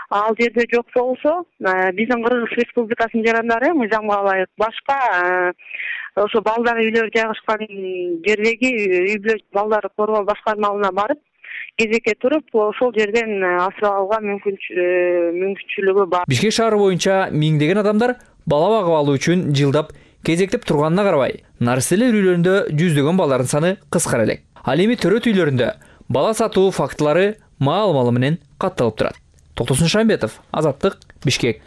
S7: ал жерде жок болсо, биздин Кыргыз Республикасынын жарандары мыйзамга ылайык башка ошо балдар үйлөрү жайгашкан жердеги үй бүлө балдар коргоо башкармалыгына барып, кезекке туруп, ошол жерден асырап алууга мүмкүнчүлүгү бар.
S5: Бишкек шаары боюнча миңдеген адамдар бала багып алуу үчүн жылдап кезектеп турганына карабай, наристелер үйлөрүндө жүздөгөн балдардын саны кыскара элек. Ал эми төрөт үйлөрүндө бала сатуу фактылары маал-маалы менен катталып турат. Токтосун Шамбетов, Азаттык, Бишкек.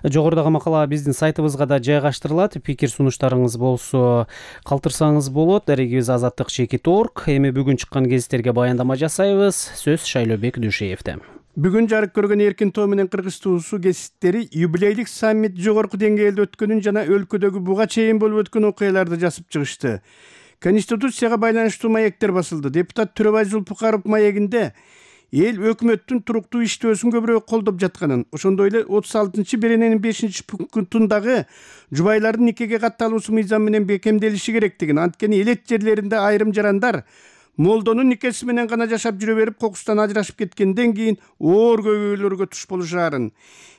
S1: Жогорудагы макала биздин сайтыбызга да жайгаштырылат. Пикир сунуштарыңыз болсо калтырсаңыз болот. Дарегибиз азаттык чекит точка орг. Эми бүгүн чыккан гезиттерге баяндама жасайбыз. Сөз Шайлообек Дүйшеевде.
S18: Бүгүн жарык көргөн Эркин Тоо менен Кыргыз туусу гезиттери юбилейлик саммит жогорку деңгээлде өткөнүн жана өлкөдөгү буга чейин болуп өткөн окуяларды жазып чыгышты. Конституцияга байланыштуу маектер басылды. Депутат Төрөбай Зулпукаров маегинде эл өкмөттүн туруктуу иштөөсүн көбүрөөк колдоп жатканын, ошондой эле отуз алтынчы берененин бешинчи пунктундагы жубайлардын никеге катталуусу мыйзам менен бекемделиши керектигин, анткени элет жерлеринде айрым жарандар молдонун никеси менен гана жашап жүрө берип, кокустан ажырашып кеткенден кийин оор көйгөйлөргө туш болушаарын,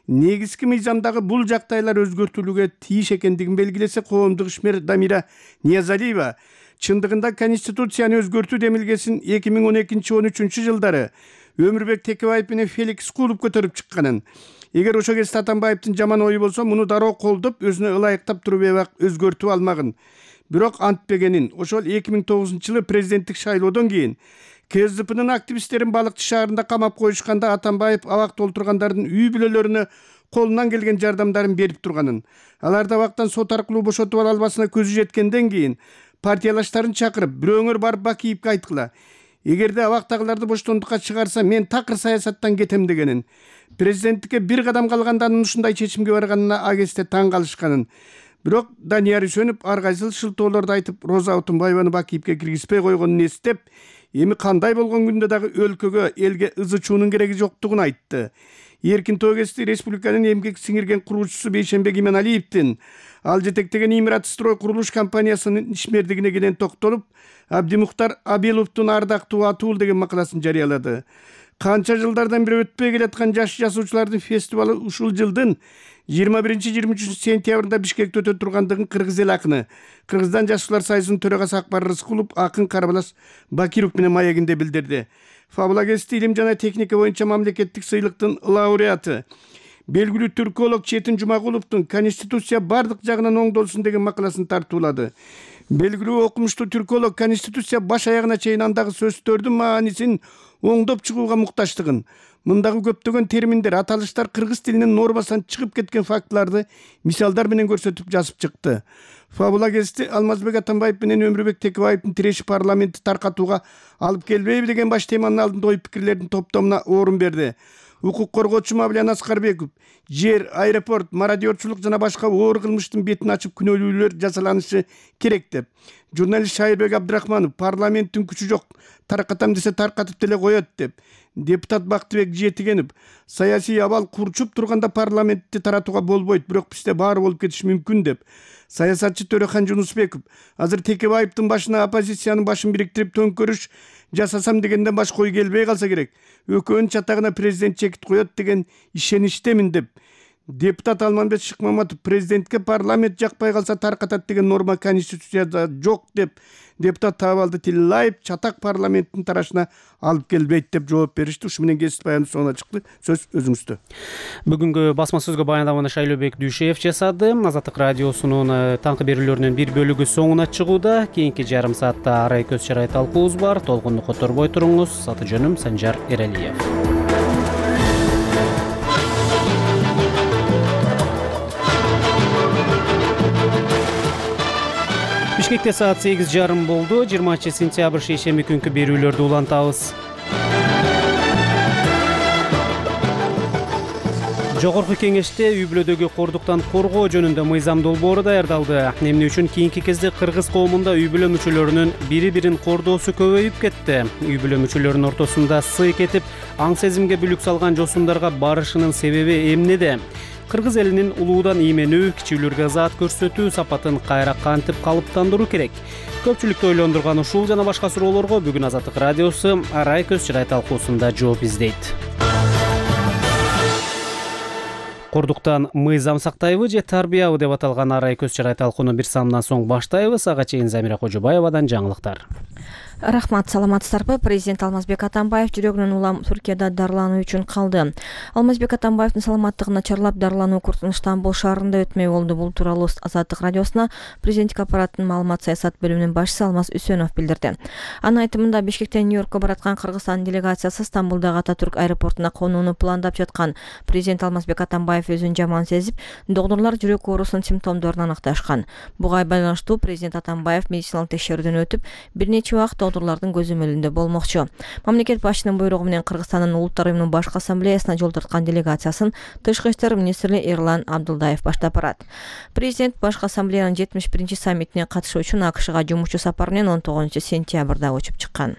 S18: негизги мыйзамдагы бул жактайлар өзгөртүлүүгө тийиш экендигин белгилесе, коомдук ишмер Дамира Ниязалиева чындыгында Конституцияны өзгөртүү демилгесин эки миң он экинчи он үчүнчү жылдары Өмүрбек Текебаев менен Феликс Кулуп көтөрүп чыкканын, эгер ошо кезде Атамбаевдин жаман ою болсо, муну дароо колдоп, өзүнө ылайыктап туруп эбак өзгөртүп алмагын, бирок антпегенин. Ошол эки миң тогузунчу жылы президенттик шайлоодон кийин КСДПнын активисттерин Балыкчы шаарында камап коюшканда Атамбаев абак толтургандардын үй бүлөлөрүнө колунан келген жардамдарын берип турганын, аларды абактан сот аркылуу бошотуп ала албасына көзү жеткенден кийин партиялаштарын чакырып, бирөөңөр барып Бакиевге айткыла, эгерде абактагыларды боштондукка чыгарса, мен такыр саясаттан кетем дегенин, президенттикке бир кадам калганда анын ушундай чечимге барганына агесте таң калышканын. Бирок Данияр Үсөнүп ар кайсыл шылтоолорду айтып, Роза Отунбаеваны Бакиевге киргизбей койгонун эстеп, эми кандай болгон күндө дагы өлкөгө, элге ызы чуунун кереги жоктугун айтты. Эркин Тоо гезити республиканын эмгек сиңирген куруучусу Бейшембек Иманалиевдин ал жетектеген Имират строй курулуш компаниясынын ишмердигине кенен токтолуп, Абдимухтар Абиловдун ардактуу атуул деген макаласын жарыялады. Канча жылдардан бери өтпөй келаткан жаш жазуучулардын фестивалы ушул жылдын жыйырма биринчи жыйырма үчүнчү сентябрында Бишкекте өтө тургандыгын Кыргыз эл акыны, Кыргызстан жашуулар союзунун төрагасы Акбар Рыскулов акын Карабалас Бакиров менен маегинде билдирди. Фабула гезити илим жана техника боюнча мамлекеттик сыйлыктын лауреаты белгилүү түрколог Четин Жумагуловдун Конституция бардык жагынан оңдолсун деген макаласын тартуулады. Белгилүү окумуштуу түрколог Конституция баш аягына чейин андагы сөздөрдүн маанисин оңдоп чыгууга муктачтыгын, мындагы көптөгөн терминдер, аталыштар кыргыз тилинин нормасынан чыгып кеткен фактыларды мисалдар менен көрсөтүп жазып чыкты. Фабула гезити Алмазбек Атамбаев менен Өмүрбек Текебаевдин тиреши парламентти таркатууга алып келбейби деген баш теманын алдында ой пикирлердин топтомуна орун берди. Укук коргоочу Мавлян Аскарбеков жер, аэропорт, мародерчулук жана башка оор кылмыштын бетин ачып күнөөлүүлөр жасаланышы керек деп. Журналист Шайырбек Абдрахманов парламенттин күчү жок, таркатам десе таркатып деле коет деп. Депутат Бактыбек Жетигенов саясий абал курчуп турганда парламентти таратууга болбойт, бирок бизде баары болуп кетиши мүмкүн деп. Саясатчы Төрехан Жунусбеков азыр Текебаевдин башына оппозициянын башын бириктирип төңкөрүш жасасам дегенден башка ой келбей калса керек. Өкөнүн чатагына президент чекит коет деген ишеничтемин деп. Депутат Алмамбет Шыкмаматов президентке парламент жакпай калса таркатат деген норма конституцияда жок деп. Депутат Табалды Тилаев чатак парламенттин тарашына алып келбейт деп жооп беришти. Ушу менен кесип баяны соңуна чыкты. Сөз өзүңүздө.
S1: Бүгүнкү басма сөзгө баяндаманы Шайлообек Дүйшеев жасады. Азаттык радиосунун таңкы берүүлөрүнүн бир бөлүгү соңуна чыгууда. Кийинки жарым саатта арай көз чарай талкуубуз бар. Толкунду которбой туруңуз. Аты жөнүм Санжар Эралиев. Бишкекте саат сегиз жарым болду. жыйырманчы сентябрь шейшемби күнкү берүүлөрдү улантабыз. Жогорку кеңеште үй бүлөдөгү кордуктан коргоо жөнүндө мыйзам долбоору даярдалды. Эмне үчүн кийинки кезде кыргыз коомунда үй бүлө мүчөлөрүнүн бири-бирин кордоосу көбөйүп кетти. Үй бүлө мүчөлөрүнүн ортосунда сый кетип, аң сезимге бүлүк салган жосундарга барышынын себеби эмнеде? Кыргыз элинин улуудан ийменүү, кичүүлөргө заат көрсөтүү сапатын кайра кантип калыптандыруу керек? Көпчүлүктү ойлондурган ушул жана башка суроолорго бүгүн Азаттык радиосу арай көз чырай талкуусунда жооп издейт. Кордуктан мыйзам сактайбы же тарбиябы деп аталган арай көз чырай талкууну бир самдан соң баштайбыз. Ага чейин Замира Кожобаевадан жаңылыктар.
S6: Рахмат, саламатсыздарбы? Президент Алмазбек Атамбаев жүрөгүнүн улам Түркияда дарылануу үчүн калды. Алмазбек Атамбаевдин саламаттыгын начарлап дарылануу курсун Стамбул шаарында өтмөй болду. Бул тууралуу Азаттык радиосуна президенттик аппараттын маалымат саясат бөлүмүнүн башчысы Алмаз Үсөнов билдирди. Анын айтымында Бишкектен Нью-Йоркко бараткан Кыргызстан делегациясы Стамбулдагы Ататүрк аэропортуна конууну пландап жаткан. Президент Алмазбек Атамбаев өзүн жаман сезип, доктурлар жүрөк оорусунун симптомдорун аныкташкан. Буга байланыштуу президент Атамбаев медициналык текшерүүдөн өтүп, бир нече убакыт доктурлардын көзөмөлүндө болмокчу. Мамлекет башчынын буйругу менен Кыргызстандын Улуттар уюмунун башкы ассамблеясына жол тарткан делегациясын Тышкы иштер министри Эрлан Абдылдаев баштап барат. Президент башкы ассамблеянын жетимиш биринчи саммитине катышуу үчүн АКШга жумушчу сапар менен он тогузунчу сентябрда учуп чыккан.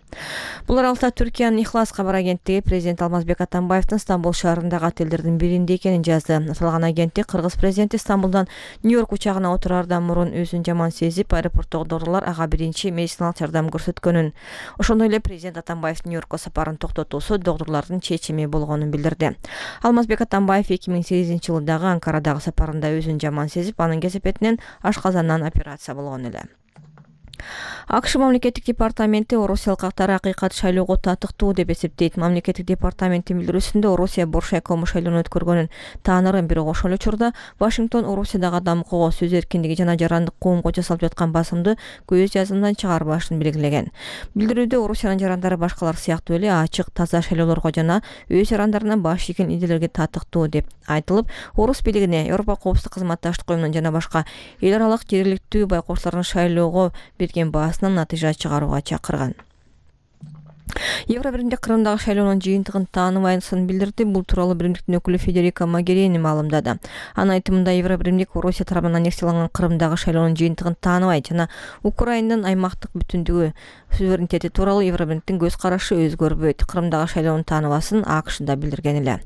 S6: Бул аралыкта Түркиянын Ихлас кабар агенттиги президент Алмазбек Атамбаевдин Стамбул шаарындагы отелдердин биринде экенин жазды. Аталган агенттик Кыргыз президенти Стамбулдан Нью-Йорк учагына отураардан мурун өзүн жаман сезип, аэропорттогу доктурлар ага биринчи медициналык жардам көрсөткөнүн, ошондой эле президент Атамбаевдин Нью-Йоркко сапарын токтотуусу доктурлардын чечими болгонун билдирди. Алмазбек Атамбаев эки миң сегизинчи жылы дагы Анкарадагы сапарында өзүн жаман сезип, анын кесепетинен ашказандан операция болгон эле. АКШ мамлекеттик департаменти орусиялык кактар акыйкат шайлоого татыктуу деп эсептейт. Мамлекеттик департаменттин билдирүүсүндө Орусия Боршайкому шайлоону өткөргөнүн таанырын, бирок ошол учурда Вашингтон Орусиядагы адам укугу, сөз эркиндиги жана жарандык коомго жасалып жаткан басымды көз жазымдан чыгарбашын белгилеген. Билдирүүдө Орусиянын жарандары башкалар сыяктуу эле ачык, таза шайлоолорго жана өз жарандарынан баш ийген идеялерге татыктуу деп айтылып, орус бийлигине, Европа коопсуздук кызматташтык уюмунун жана башка эл аралык жергиликтүү байкоочулардын шайлоого берген баасынан натыйжа чыгарууга чакырган. Евробиримдик Кырымдагы шайлоонун жыйынтыгын тааныбайсын билдирди. Бул тууралуу биримдиктин өкүлү Федерика Могерини маалымдады. Анын айтымында Евробиримдик Орусия тарабынан аннексияланган Кырымдагы шайлоонун жыйынтыгын тааныбайт жана Украинанын аймактык бүтүндүгү, суверенитети тууралуу Евробиримдиктин көз карашы өзгөрбөйт. Кырымдагы шайлоонун тааныбасын АКШда билдирген эле.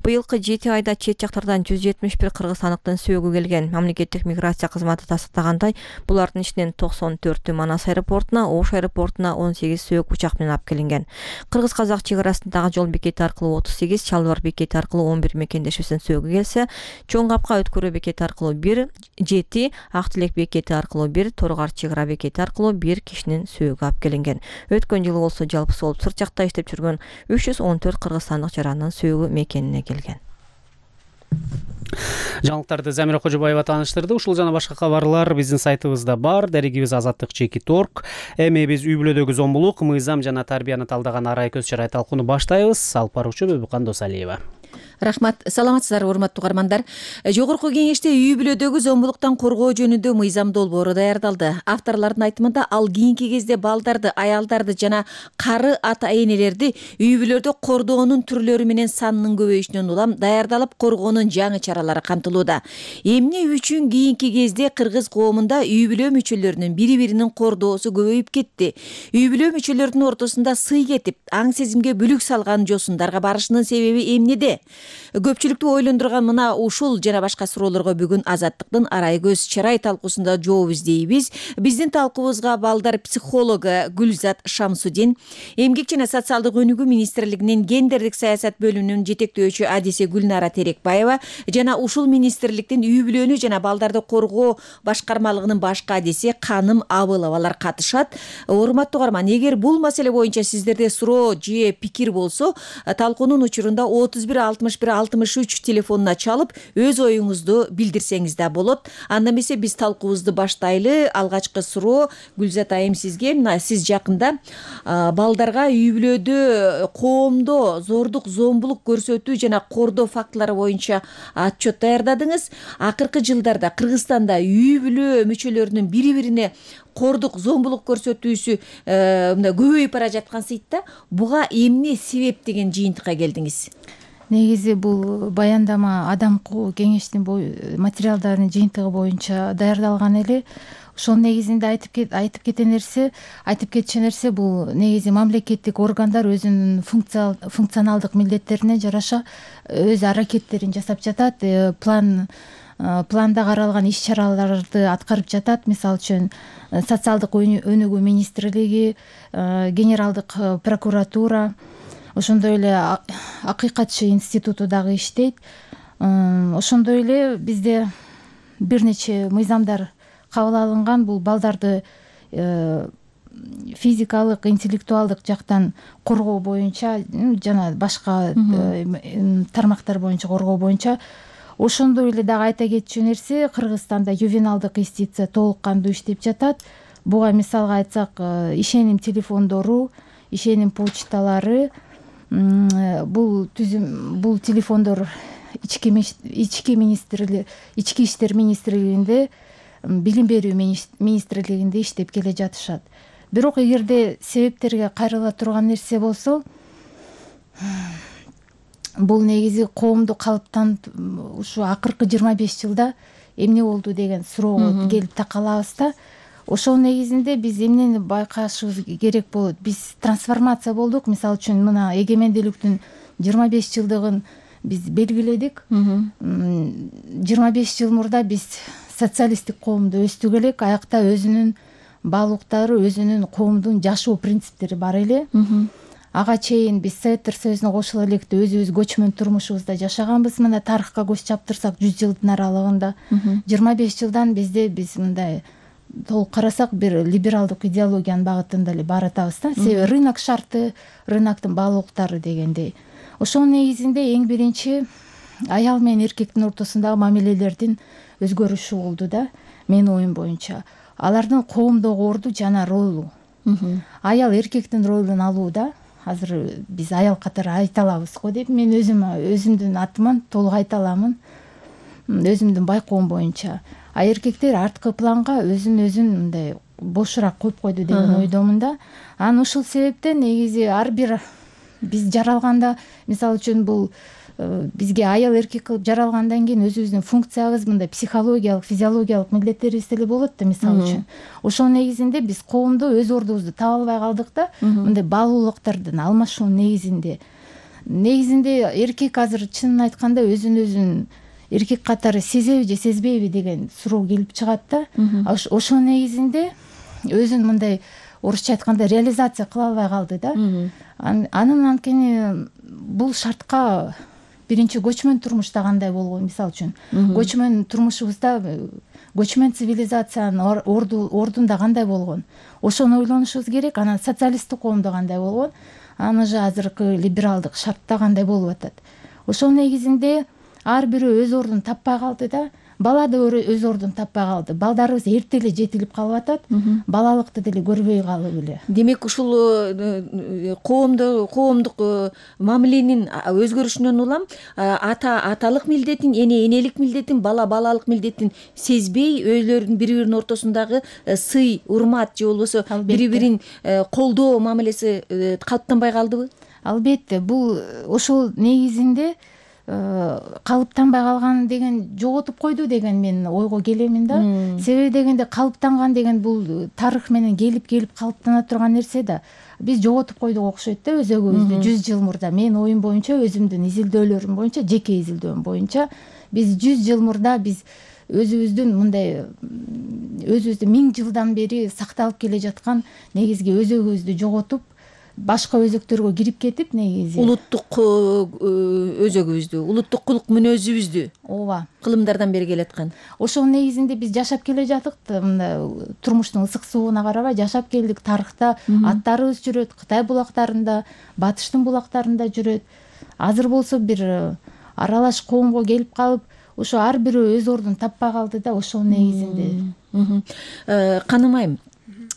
S6: Быйылкы жети айда чет жактардан жүз жетимиш бир кыргызстандыктын сөөгү келген. Мамлекеттик миграция кызматы тастыктагандай, булардын ичинен токсон төртү Манас аэропортуна, Ош аэропортуна он сегиз сөök учак менен алып келинген. Кыргыз-казак чек арасындагы жол бекети аркылуу отуз сегиз, Чалбар бекети аркылуу он бир мекендешибиздин сөөгү келсе, Чоң Капка өткөрүү бекети аркылуу бир, жети, Ак Тилек бекети аркылуу бир, Торгар чек ара бекети аркылуу бир кишинин сөөгү алып келинген. Өткөн жылы болсо жалпысы болуп сырт жакта иштеп жүргөн үч жүз он төрт кыргызстандык жарандын сөөгү мекенине келген.
S1: Жаңылыктарды Замира Кожобаева тааныштырды. Ушул жана башка кабарлар биздин сайтыбызда бар. Дарегибиз азаттык чекит орг. Эми биз үй бүлөдөгү зомбулук, мыйзам жана тарбияны талдаган арай көз чырай талкууну баштайбыз. Алып баруучу Бөбүкан Досалиева.
S19: Рахмат. Саламатсыздарбы, урматтуу угармандар. Жогорку кеңеште үй бүлөдөгү зомбулуктан коргоо жөнүндө мыйзам долбоору даярдалды. Авторлордун айтымында ал кийинки кезде балдарды, аялдарды жана кары ата энелерди үй бүлөдө кордоонун түрлөрү менен санынын көбөйүшүнөн улам даярдалып коргоонун жаңы чаралары камтылууда. Эмне үчүн кийинки кезде кыргыз коомунда үй бүлө мүчөлөрүнүн бири-биринин кордоосу көбөйүп кетти? Үй бүлө мүчөлөрүнүн ортосунда сый кетип, аң сезимге бүлүк салган жосундарга барышынын себеби эмнеде? Көпчүлүктү ойлондурган мына ушул жана башка суроолорго бүгүн Азаттыктын Арай көз чырай талкуусунда жооп издейбиз. Биздин талкуубузга балдар психологу Гүлзат Шамсудин, эмгек жана социалдык өнүгүү министрлигинин гендердик саясат бөлүмүнүн жетектөөчү адиси Гүлнара Терекбаева жана ушул министрликтин үй бүлөнү жана балдарды коргоо башкармалыгынын башкы адиси Каным Абыловалар катышат. Урматтуу угарман, эгер бул маселе боюнча сиздерде суроо же пикир болсо, талкуунун учурунда отуз бир алтымыш бир алтымыш үч телефонуна чалып өз оюңузду билдирсеңиз да болот. Анда эмесе биз талкуубузду баштайлы. Алгачкы суроо Гүлзат айым сизге. Мына сиз жакында балдарга үй бүлөдө коомдо зордук, зомбулук көрсөтүү жана кордоо фактылары боюнча отчет даярдадыңыз. Акыркы жылдарда Кыргызстанда үй бүлө мүчөлөрүнүн бири-бирине кордук, зомбулук көрсөтүүсү мына көбөйүп бара жаткан сыйтта, буга эмне себеп деген жыйынтыкка келдиңиз?
S20: Негизи бул баяндама Адамкуу кеңештин материалдарынын жыйынтыгы боюнча даярдалган эле. Ошол негизинде айтып кет айтып кетен нерсе, айтып кетчү нерсе бул негизи мамлекеттик органдар өзүнүн функционалдык милдеттерине жараша өз аракеттерин жасап жатат. План планда каралган иш чараларды аткарып жатат. Мисалы үчүн социалдык өнүгүү министрлиги, генералдык прокуратура, ошондой эле Акыйкатчы институту дагы иштейт. Ошондой эле бизде бир нече мыйзамдар кабыл алынган. Бул балдарды физикалык, интеллектуалдык жактан коргоо боюнча жана башка тармактар боюнча коргоо боюнча. Ошондой эле дагы айта кетчү нерсе, Кыргызстанда ювеналдык юстиция толук кандуу иштеп жатат. Буга мисалга айтсак, ишеним телефондору, ишеним почталары, бул түзүм бул телефондор ички ички министрлиги, ички иштер министрлигинде, билим берүү министрлигинде иштеп келе жатышат. Бирок эгерде себептерге кайрыла турган нерсе болсо, бул негизи коомду калыптанып ушу акыркы жыйырма беш жылда эмне болду деген суроого келип такалабыз да. Ошол негизинде биз эмнени байкашыбыз керек болот? Биз трансформация болдук. Мисалы үчүн мына эгемендүүлүктүн жыйырма беш жылдыгын биз белгиледик. жыйырма беш жыл мурда биз социалисттик коомдо өстүк элек. Аякта өзүнүн баалуулуктары, өзүнүн коомдун жашоо принциптери бар эле. Ага чейин биз Советтер Союзуна кошула электе өзүбүз көчмөн турмушубузда жашаганбыз. Мына тарыхка көз чаптырсак жүз жылдын аралыгында жыйырма беш жылдан бизде биз мындай толук карасак бир либералдык идеологиянын багытында эле баратабыз да. Себеби рынок шарты, рыноктун баалуулуктары дегендей. Ошол негизинде эң биринчи аял менен эркектин ортосундагы мамилелердин өзгөрүшү болду да, менин оюм боюнча. Алардын коомдогу орду жана ролу. Аял эркектин ролун алууда. Азыр биз аял катары айта алабыз го деп мен өзүм өзүмдүн атыман толук айта аламын. Өзүмдүн байкоом боюнча. А эркектер арткы планга өзүн өзүн мындай бошураак коюп койду деген ойдомун да. Анан ушул себептен негизи ар бир биз жаралганда, мисалы үчүн бул бизге аял эркек кылып жаралгандан кийин өзүбүздүн функциябыз мындай психологиялык, физиологиялык милдеттерибиз деле болот да, мисалы үчүн. Ошол негизинде биз коомдо өз ордубузду таба албай калдык да, мындай баалуулуктардын алмашуунун негизинде. Негизинде эркек азыр чынын айтканда өзүн өзүн эркек катары сезеби же сезбейби деген суроо келип чыгат да. Ошол негизинде өзүн мындай орусча айтканда реализация кыла албай калды да. Анын анткени бул шартка биринчи көчмөн турмушта кандай болгон, мисалы үчүн көчмөн турмушубузда көчмөн цивилизациянын ордунда кандай болгон, ошону ойлонушубуз керек. Анан социалисттик коомдо кандай болгон, анан уже азыркы либералдык шартта кандай болуп атат. Ошол негизинде ар бирөө өз ордун таппай калды да. бала да өз ордун таппай калды. Балдарыбыз эрте эле жетилип калып атат, балалыкты деле көрбөй калып эле.
S19: Демек ушул коомдо коомдук мамиленин өзгөрүшүнөн улам ата аталык милдетин, эне энелик милдетин, бала балалык милдетин сезбей өздөрүнүн бири биринин ортосундагы сый, урмат же болбосо бири бирин колдоо мамилеси калыптанбай калдыбы?
S20: Албетте, бул ошол негизинде калыптанбай калган деген жоготуп койду деген мен ойго келемин да. Себеби дегенде калыптанган деген бул тарых менен келип келип калыптана турган нерсе да. Биз жоготуп койдук окшойт да өзөгүбүздү жүз жыл мурда. Менин оюм боюнча, өзүмдүн изилдөөлөрүм боюнча, жеке изилдөөм боюнча биз жүз жыл мурда биз өзүбүздүн мындай өзүбүздү миң жылдан бери сакталып келе жаткан негизги өзөгүбүздү жоготуп, башка өзөктөргө кирип кетип, негизи
S19: улуттук өзөгүбүздү, улуттук кулук мүнөзүбүздү
S20: ооба
S19: кылымдардан бери келаткан.
S20: Ошол негизинде биз жашап келе жаттык, турмуштун ысык сууна карабай жашап келдик. Тарыхта аттарыбыз жүрөт, Кытай булактарында, Батыштын булактарында жүрөт. Азыр болсо бир аралаш коомго келип калып, ошо ар бирөө өз ордун таппай калды да, ошол негизинде.
S19: Каным айым,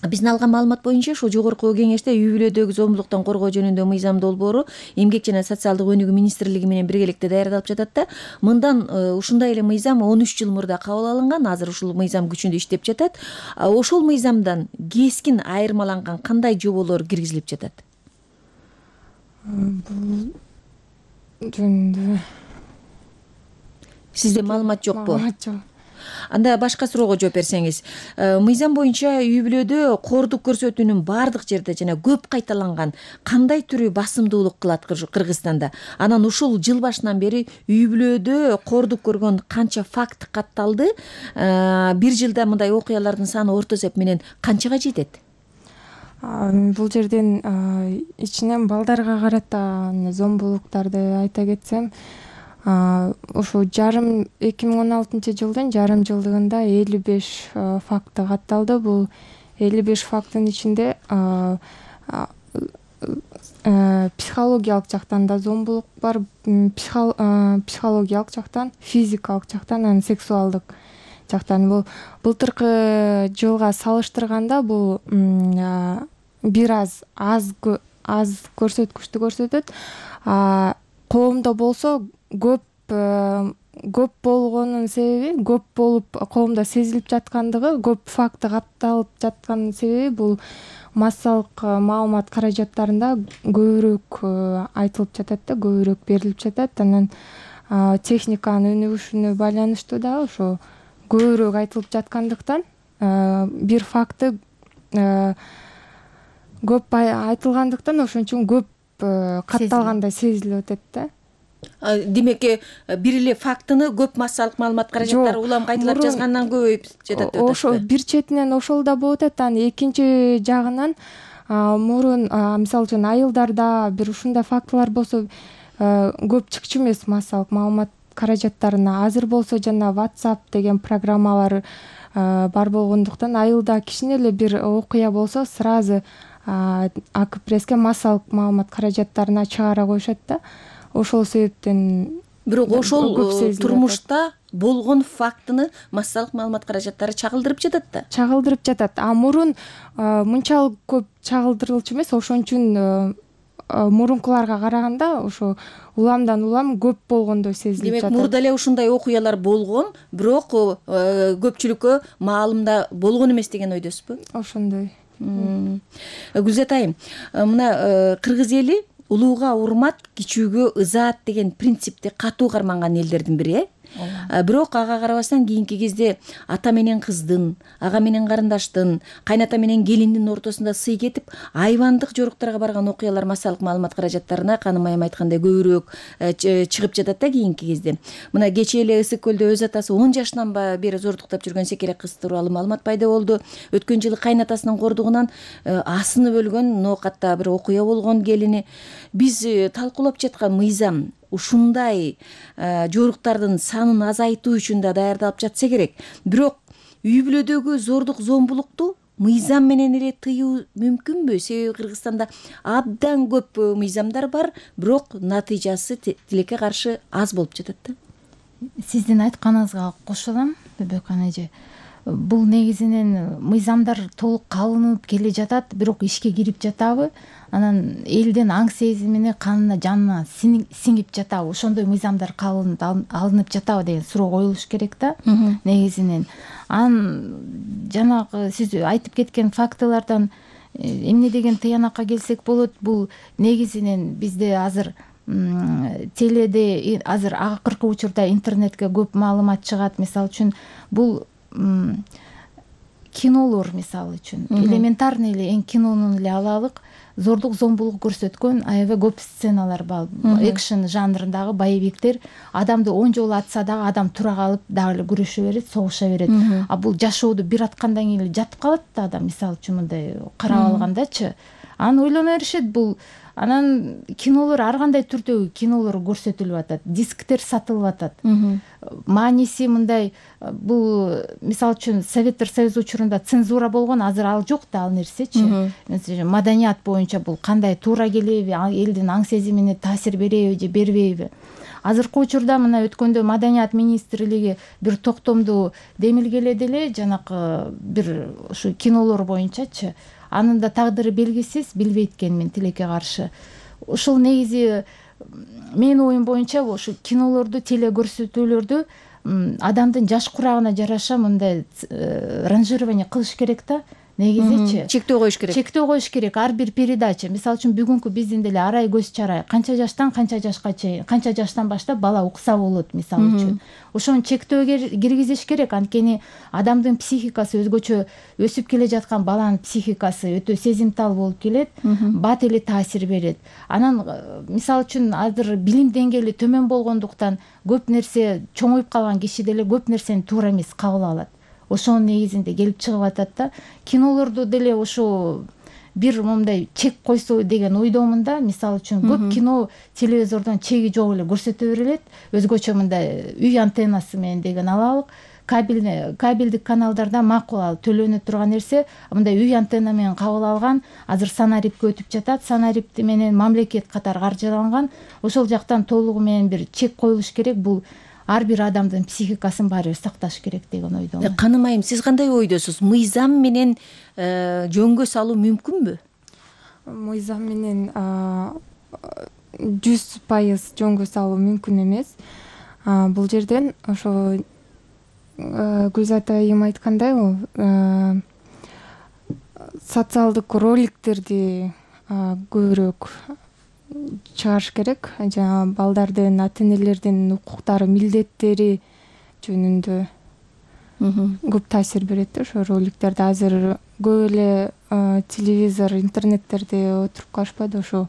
S19: биздин алган маалымат боюнча ушул жогорку кеңеште үй бүлөдөгү зомбулуктан коргоо жөнүндө мыйзам долбоору Эмгек жана социалдык өнүгүү министрлиги менен биргеликте даярдалып жатат да. Мындан ушундай эле мыйзам он үч жыл мурда кабыл алынган, азыр ушул мыйзам күчүндө иштеп жатат. Ошол мыйзамдан кескин айырмаланган кандай жоболор киргизилип жатат?
S21: Бул жөнүндө
S19: Сизде маалымат жокпу?
S21: Маалымат жок.
S19: Анда башка суроого жооп берсеңиз, мыйзам боюнча үй бүлөдө коордук көрсөтүүнүн баардык жерде жана көп кайталанган кандай түрү басымдуулук кылат Кыргызстанда? Анан ушул жыл башынан бери үй бүлөдө коордук көргөн канча факт катталды? Бир жылда мындай окуялардын саны орто эсеп менен канчага жетет?
S21: Бул жерден ичинен балдарга карата зомбулуктарды айта кетсем, ошо жарым эки миң он алтынчы жылдын жарым жылдыгында элүү беш факты катталды. Бул элүү беш факттын ичинде психологиялык жактан да зомбулук бар, психологиялык жактан, физикалык жактан, анан сексуалдык жактан. Бул былтыркы жылга салыштырганда бул бир аз аз аз көрсөткүчтү көрсөтөт. Коомдо болсо көп көп болгонунун себеби, көп болуп коомдо сезилип жаткандыгы, көп факты катталып жаткан себеби бул массалык маалымат каражаттарында көбүрөөк айтылып жатат да, көбүрөөк берилип жатат. Анан техниканын өнүгүшүнө байланыштуу да ошо көбүрөөк айтылып жаткандыктан бир факты көп айтылгандыктан ошон үчүн көп катталгандай сезилип атат да.
S19: Демек, бир эле фактыны көп массалык маалымат каражаттары улам кайталап жазгандан көбөйүп жатат деп атасызбы?
S21: Ошо бир четинен ошол да болуп атат. Анан экинчи жагынан мурун мисалы үчүн айылдарда бир ушундай фактылар болсо көп чыкчу эмес массалык маалымат каражаттарына. Азыр болсо жана WhatsApp деген программалар бар болгондуктан айылда кичине эле бир окуя болсо сразу АК-пресске массалык маалымат каражаттарына чыгара коюшат да. Ошол себептен
S19: бирок ошол турмушта болгон фактыны массалык маалымат каражаттары чагылдырып жатат да.
S21: Чагылдырып жатат. А мурун мынчалык көп чагылдырылчу эмес. Ошон үчүн мурункуларга караганда ошо уламдан улам көп болгондой сезилип жатат.
S19: Демек, мурда эле ушундай окуялар болгон, бирок көпчүлүккө маалымда болгон эмес деген ойдосузбу?
S21: Ошондой.
S19: Гүлзат айым, мына кыргыз эли улууга урмат, кичүүгө ызаат деген принципти катуу карманган элдердин бири, э? Бирок ага карабастан кийинки кезде ата менен кыздын, ага менен карындаштын, кайната менен келиндин ортосунда сый кетип, айбандык жоруктарга барган окуялар массалык маалымат каражаттарына, Каным айым айткандай, көбүрөөк чыгып жатат да кийинки кезде. Мына кечээ эле Ысык көлдө өз атасы он жашынан бери зордуктап жүргөн секерек кыз тууралуу маалымат пайда болду. Өткөн жылы кайнатасынын кордугунан асынып өлгөн ноокатта бир окуя болгон келини. Биз талкуулап жаткан мыйзам ушундай жоруктардын санын азайтуу үчүн да даярдалып жатса керек. Бирок үй бүлөдөгү зордук, зомбулукту мыйзам менен эле тыюу мүмкүнбү? Себеби Кыргызстанда абдан көп мыйзамдар бар, бирок натыйжасы тилекке каршы аз болуп жатат да.
S20: сиздин айтканыңызга кошулам Бөбөкан эже. Бул негизинен мыйзамдар толук калынып келе жатат, бирок ишке кирип жатабы, анан элдин аң сезимине, канына, жанына сиңип жатабы, ошондой мыйзамдар калынып алынып жатабы деген суроо коюлуш керек да негизинен. Анан жанагы сиз айтып кеткен фактылардан эмне деген тыянакка келсек болот, бул негизинен бизде азыр теледе азыр акыркы учурда интернетке көп маалымат чыгат. Мисалы үчүн бул кинолор, мисалы үчүн элементарный эле эң кинонун эле алалык, зордук зомбулук көрсөткөн аябай көп сценалар бар. Экшн жанрындагы боевиктер адамды он жолу атса дагы адам тура калып дагы эле күрөшө берет, согуша берет. А бул жашоодо бир аткандан кийин эле жатып калат да адам, мисалы үчүн мындай карап алгандачы. Анан ойлоно беришет бул. Анан кинолор ар кандай түрдөгү кинолор көрсөтүлүп атат, дисктер сатылып атат. Мааниси мындай, бул мисалы үчүн Советтер Союзу учурунда цензура болгон, азыр ал жок да ал нерсечи. Маданият боюнча бул кандай туура келеби, элдин аң сезимине таасир береби же бербейби. Азыркы учурда мына өткөндө Маданият министрлиги бир токтомду демилгеледи эле, жанакы бир ушу кинолор боюнчачы. Анын да тагдыры белгисиз, билбейт экенмин тилекке каршы. Ушул негизи менин оюм боюнча ушу кинолорду, теле көрсөтүүлөрдү адамдын жаш курагына жараша мындай ранжирование кылыш керек да. Негизичи
S19: чектөө коюш керек.
S20: Чектөө коюш керек ар бир передача. Мисалы үчүн бүгүнкү биздин деле арай көз чарай канча жаштан канча жашка чейин, канча жаштан баштап бала укса болот мисалы үчүн. Ошону чектөө киргизиш керек, анткени адамдын психикасы өзгөчө, өсүп келе жаткан баланын психикасы өтө сезимтал болуп келет, бат эле таасир берет. Анан мисалы үчүн азыр билим деңгээли төмөн болгондуктан көп нерсе, чоңоюп калган киши деле көп нерсени туура эмес кабыл алат. Ошонун негизинде келип чыгып атат да. Кинолорду деле ошо бир момундай чек койсо деген ойдомун да. Мисалы үчүн көп кино телевизордон чеги жок эле көрсөтө берилет. Өзгөчө мындай үй антеннасы менен деген алалык. Кабель кабелдик каналдарда макул ал төлөнө турган нерсе, мындай үй антенна менен кабыл алган, азыр санарипке өтүп жатат. Санарип менен мамлекет катары каржыланган. Ошол жактан толугу менен бир чек коюлуш керек. Бул ар бир адамдын психикасын баары бир сакташ керек деген ойдомун.
S19: Каным айым, сиз кандай ойдосуз? Мыйзам менен жөнгө салуу мүмкүнбү?
S21: Мыйзам менен жүз пайыз жөнгө салуу мүмкүн эмес. Бул жерден ошо Гүлзат айым айткандай, бул социалдык роликтерди көбүрөөк чыгарыш керек. Жана балдардын, ата энелердин укуктары, милдеттери жөнүндө көп таасир берет да ошо роликтерди. Азыр көп эле телевизор, интернеттерде отуруп калышпайбы, ошо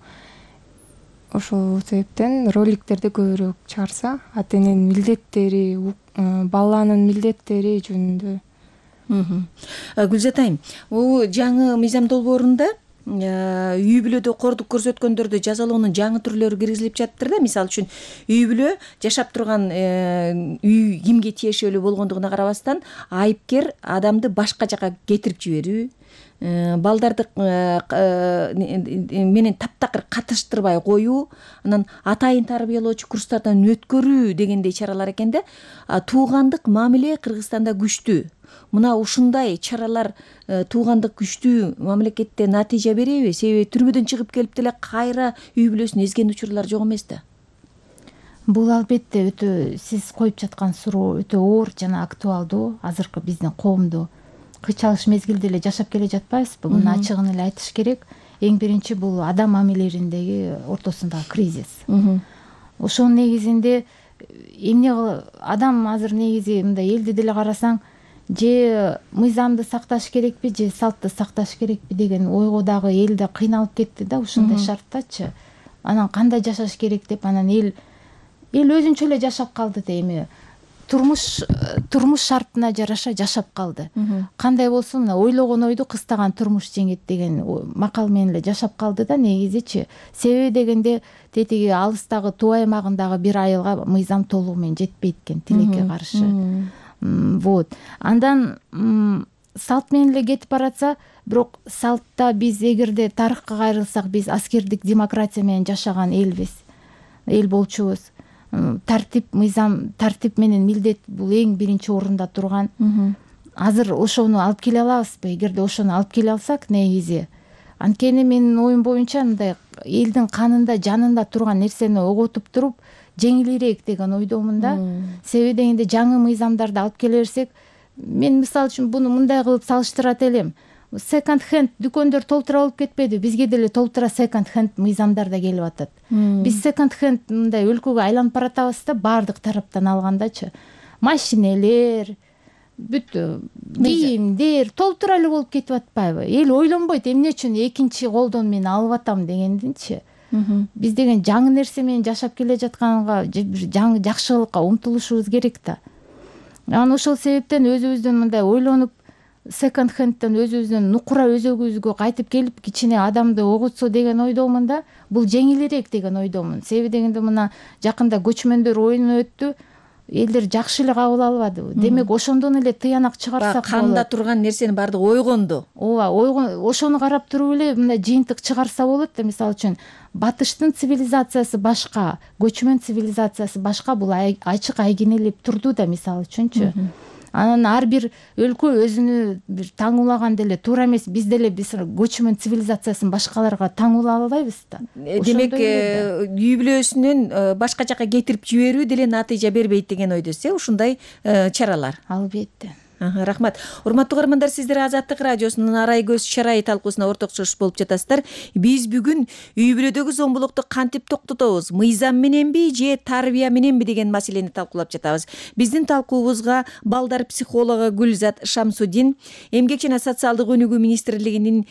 S21: ошол себептен роликтерди көбүрөөк чыгарса, ата эненин милдеттери, баланын милдеттери жөнүндө.
S19: Гүлзат айым, бул жаңы мыйзам долбоорунда үй бүлөдө кордук көрсөткөндөрдү жазалоонун жаңы түрлөрү киргизилип жатыптыр да. Мисалы үчүн үй бүлө жашап турган үй кимге тиешелүү болгондугуна карабастан айыпкер адамды башка жака кетирип жиберүү, балдарды менен таптакыр катыштырбай коюу, анан атайын тарбиялоочу курстардан өткөрүү дегендей чаралар экен да. Туугандык мамиле Кыргызстанда күчтүү. Мына ушундай чаралар туугандык күчтүү мамлекетте натыйжа береби? Себеби түрмөдөн чыгып келип деле кайра үй бүлөсүн эзген учурлар жок эмес да.
S20: Бул албетте өтө, сиз коюп жаткан суроо өтө оор жана актуалдуу. Азыркы биздин коомдо кыйчалыш мезгилде эле жашап келе жатпайбызбы? Муну ачыгын эле айтыш керек. Эң биринчи бул адам мамилелериндеги ортосундагы кризис. Ошонун негизинде эмне адам азыр негизи мындай элди деле карасаң, же мыйзамды сакташ керекпи, же салтты сакташ керекпи деген ойго дагы эл да кыйналып кетти да ушундай шарттачы. Анан кандай жашаш керек деп, анан эл эл өзүнчө эле жашап калды да, эми турмуш турмуш шартына жараша жашап калды. Кандай болсун, мына ойлогон ойду кыстаган турмуш жеңет деген макал менен эле жашап калды да негизичи. Себеби дегенде тетиги алыстагы туу аймагындагы бир айылга мыйзам толугу менен жетпейт экен тилекке каршы. Вот. Андан салт менен эле кетип баратса, бирок салтта биз эгерде тарыхка кайрылсак, биз аскердик демократия менен жашаган элбиз, эл болчубуз. тартип мыйзам тартип менен милдет бул эң биринчи орунда турган. Азыр ошону алып келе алабызбы? Эгерде ошону алып келе алсак, негизи анткени менин оюм боюнча мындай элдин канында, жанында турган нерсени оготуп туруп жеңилирээк деген ойдомун да. Себеби дегенде жаңы мыйзамдарды алып келе берсек, мен мисалы үчүн буну мындай кылып салыштырат элем. Second hand дүкөндөр толтура болуп кетпеди? Бизге деле толтура second hand мыйзамдар да келип атат. Биз second hand мындай өлкөгө айланып баратабыз да, баардык тараптан алгандачы. Машинелер, бүт кийимдер толтура эле болуп кетип атпайбы? Эл ойлонбойт, эмне үчүн экинчи колдон мен алып атам дегендинчи. Биз деген жаңы нерсе менен жашап келе жатканга, бир жаңы жакшылыкка умтулушубуз керек да. Анан ошол себептен өзүбүздөн мындай ойлонуп, second hand'тан өзүбүздүн нукура өзөгүбүзгө кайтып келип, кичине адамды огутсо деген ойдомун да. Бул жеңилирээк деген ойдомун. Себеби дегенде мына жакында көчмөндөр оюну өттү. Элдер жакшы эле кабыл албады. Демек, ошондон эле тыянак чыгарсак болот.
S19: Канда турган нерсенин баардыгы ойгонду.
S20: Ооба, ойгон, ошону карап туруп эле мындай жыйынтык чыгарса болот да. Мисалы үчүн, батыштын цивилизациясы башка, көчмөн цивилизациясы башка, бул ачык айгинелеп турду да, мисалы үчүнчү. Анан ар бир өлкө өзүнү бир таңуулаган деле туура эмес. Биз деле биз көчмөн цивилизациясын башкаларга таңуулай албайбыз да.
S19: Демек, үй бүлөсүнөн башка жака кетирип жиберүү деле натыйжа бербейт деген ойдосуз, э? Ушундай чаралар.
S20: Албетте.
S19: Рахмат. Урматтуу угармандар, сиздер Азаттык радиосунун арай көз чарай талкуусуна орток чыгыш болуп жатасыздар. Биз бүгүн үй бүлөдөгү зомбулукту кантип токтотобуз? Мыйзам мененби же тарбия мененби деген маселени талкуулап жатабыз. Биздин талкуубузга балдар психологу Гүлзат Шамсудин, Эмгек жана социалдык өнүгүү министрлигинин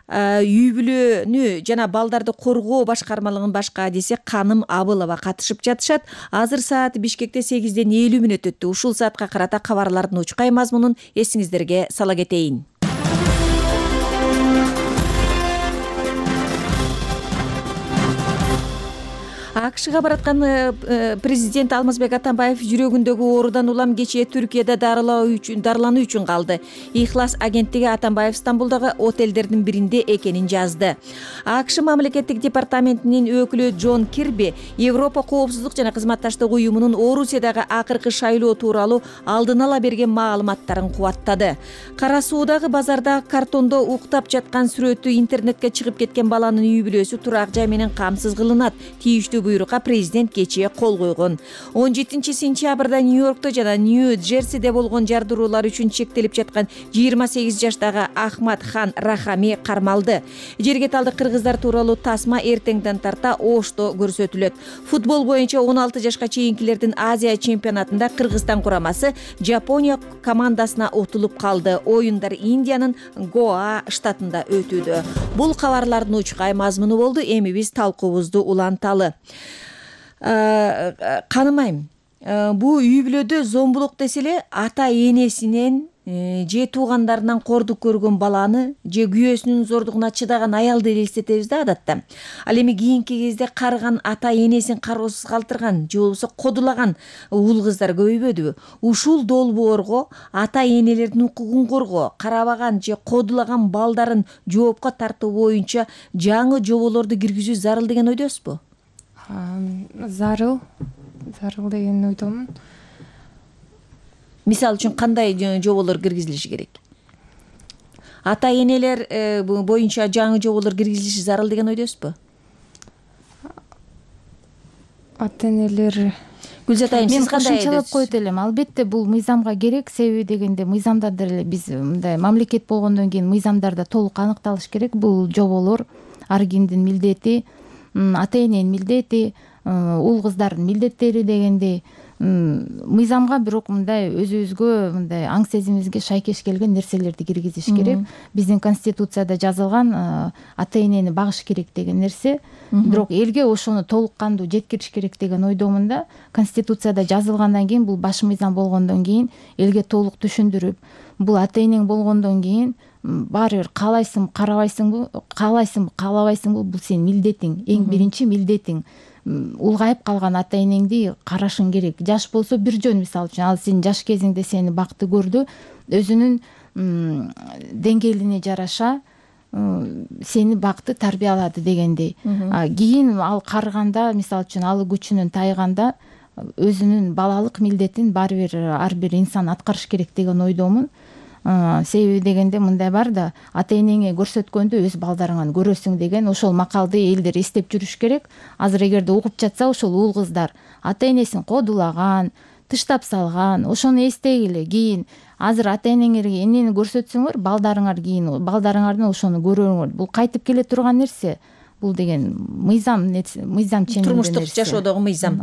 S19: үй бүлөнү жана балдарды коргоо башкармалыгынын баш кадиси Каным Абылова катышып жатышат. Азыр саат Бишкекте сегизден элүү мүнөт өттү. Ушул саатка карата кабарлардын учкай мазмунун эсиңиздерге сала кетейин. АКШга бараткан президент Алмазбек Атамбаев жүрөгүндөгү оорудан улам кечээ Түркияда дарылануу үчүн дарылануу үчүн калды. Ихлас агенттиги Атамбаев Стамбулдагы отелдердин биринде экенин жазды. АКШ мамлекеттик департаментинин өкүлү Джон Кирби Европа коопсуздук жана кызматташтык уюмунун Орусиядагы акыркы шайлоо тууралуу алдын ала берген маалыматтарын кубаттады. Кара Суудагы базарда картондо уктап жаткан сүрөтү интернетке чыгып кеткен баланын үй бүлөсү турак жай менен камсыз кылынат. Тийиштүү буйрукка президент кечээ кол койгон. он жетинчи сентябрда Нью-Йоркто жана Нью-Джерсиде болгон жардыруулар үчүн чектелип жаткан жыйырма сегиз жаштагы Ахмад Хан Рахами кармалды. Жерге талдык кыргыздар тууралуу тасма эртеңден тарта Ошто көрсөтүлөт. Футбол боюнча он алты жашка чейинкилердин Азия чемпионатында Кыргызстан курамасы Жапония командасына утулуп калды. Оюндар Индиянын Гоа штатында өтүүдө. Бул кабарлардын учкай мазмуну болду. Эми биз талкуубузду уланталы. Канымайм, бул үй бүлөдө зомбулук десе эле ата энесинен же туугандарынан кордук көргөн баланы же күйөөсүнүн зордугуна чыдаган аялды элестетебиз да адатта. Ал эми кийинки кезде карыган ата энесин кароосуз калтырган же болбосо кодулаган уул кыздар көбөйбөдүбү? Ушул долбоорго ата энелердин укугун коргоо, карабаган же кодулаган балдарын жоопко тартуу боюнча жаңы жоболорду киргизүү зарыл деген ойдосузбу?
S21: Зарыл, зарыл деген ойдомун.
S19: Мисалы үчүн кандай жоболор киргизилиши керек? Ата энелер боюнча жаңы жоболор киргизилиши зарыл деген ойдосузбу?
S21: Ата энелер
S19: Гүлзат айым, сиз кандай
S20: ойдосуз? Мен кошумчалап коет элем. Албетте бул мыйзамга керек. Себеби дегенде мыйзамда деле биз мындай мамлекет болгондон кийин мыйзамдарда толук аныкталыш керек. Бул жоболор ар кимдин милдети, ата эненин милдети, уул кыздардын милдеттери дегендей мыйзамга бирок мындай өзүбүзгө мындай аң сезимибизге шайкеш келген нерселерди киргизиш керек. Биздин конституцияда жазылган ата энени багыш керек деген нерсе, бирок элге ошону толук кандуу жеткириш керек деген ойдомун да. Конституцияда жазылгандан кийин, бул баш мыйзам болгондон кийин элге толук түшүндүрүп, бул ата энең болгондон кийин баары бир каалайсың, карабайсыңбы, каалайсыңбы, каалабайсыңбы, бул сенин милдетиң, эң биринчи милдетиң. Улгайып калган ата энеңди карашың керек. Жаш болсо бир жөн, мисалы үчүн, ал сенин жаш кезиңде сени бакты көрдү, өзүнүн деңгээлине жараша сени бакты, тарбиялады дегендей. Кийин ал карыганда, мисалы үчүн, алы күчүнөн тайганда өзүнүн балалык милдетин баары бир ар бир инсан аткарыш керек деген ойдомун. Себеби дегенде мындай бар да, ата энеңе көрсөткөндү өз балдарыңан көрөсүң деген ошол макалды элдер эстеп жүрүш керек. Азыр эгерде угуп жатса ошол уул кыздар ата энесин кодулаган, тыштап салган, ошону эстегиле. Кийин азыр ата энеңерге эмнени көрсөтсөңөр, балдарыңар кийин балдарыңардан ошону көрөңөр. Бул кайтып келе турган нерсе. Бул деген мыйзам мыйзам ченинде
S19: турмуштук жашоодогу мыйзам.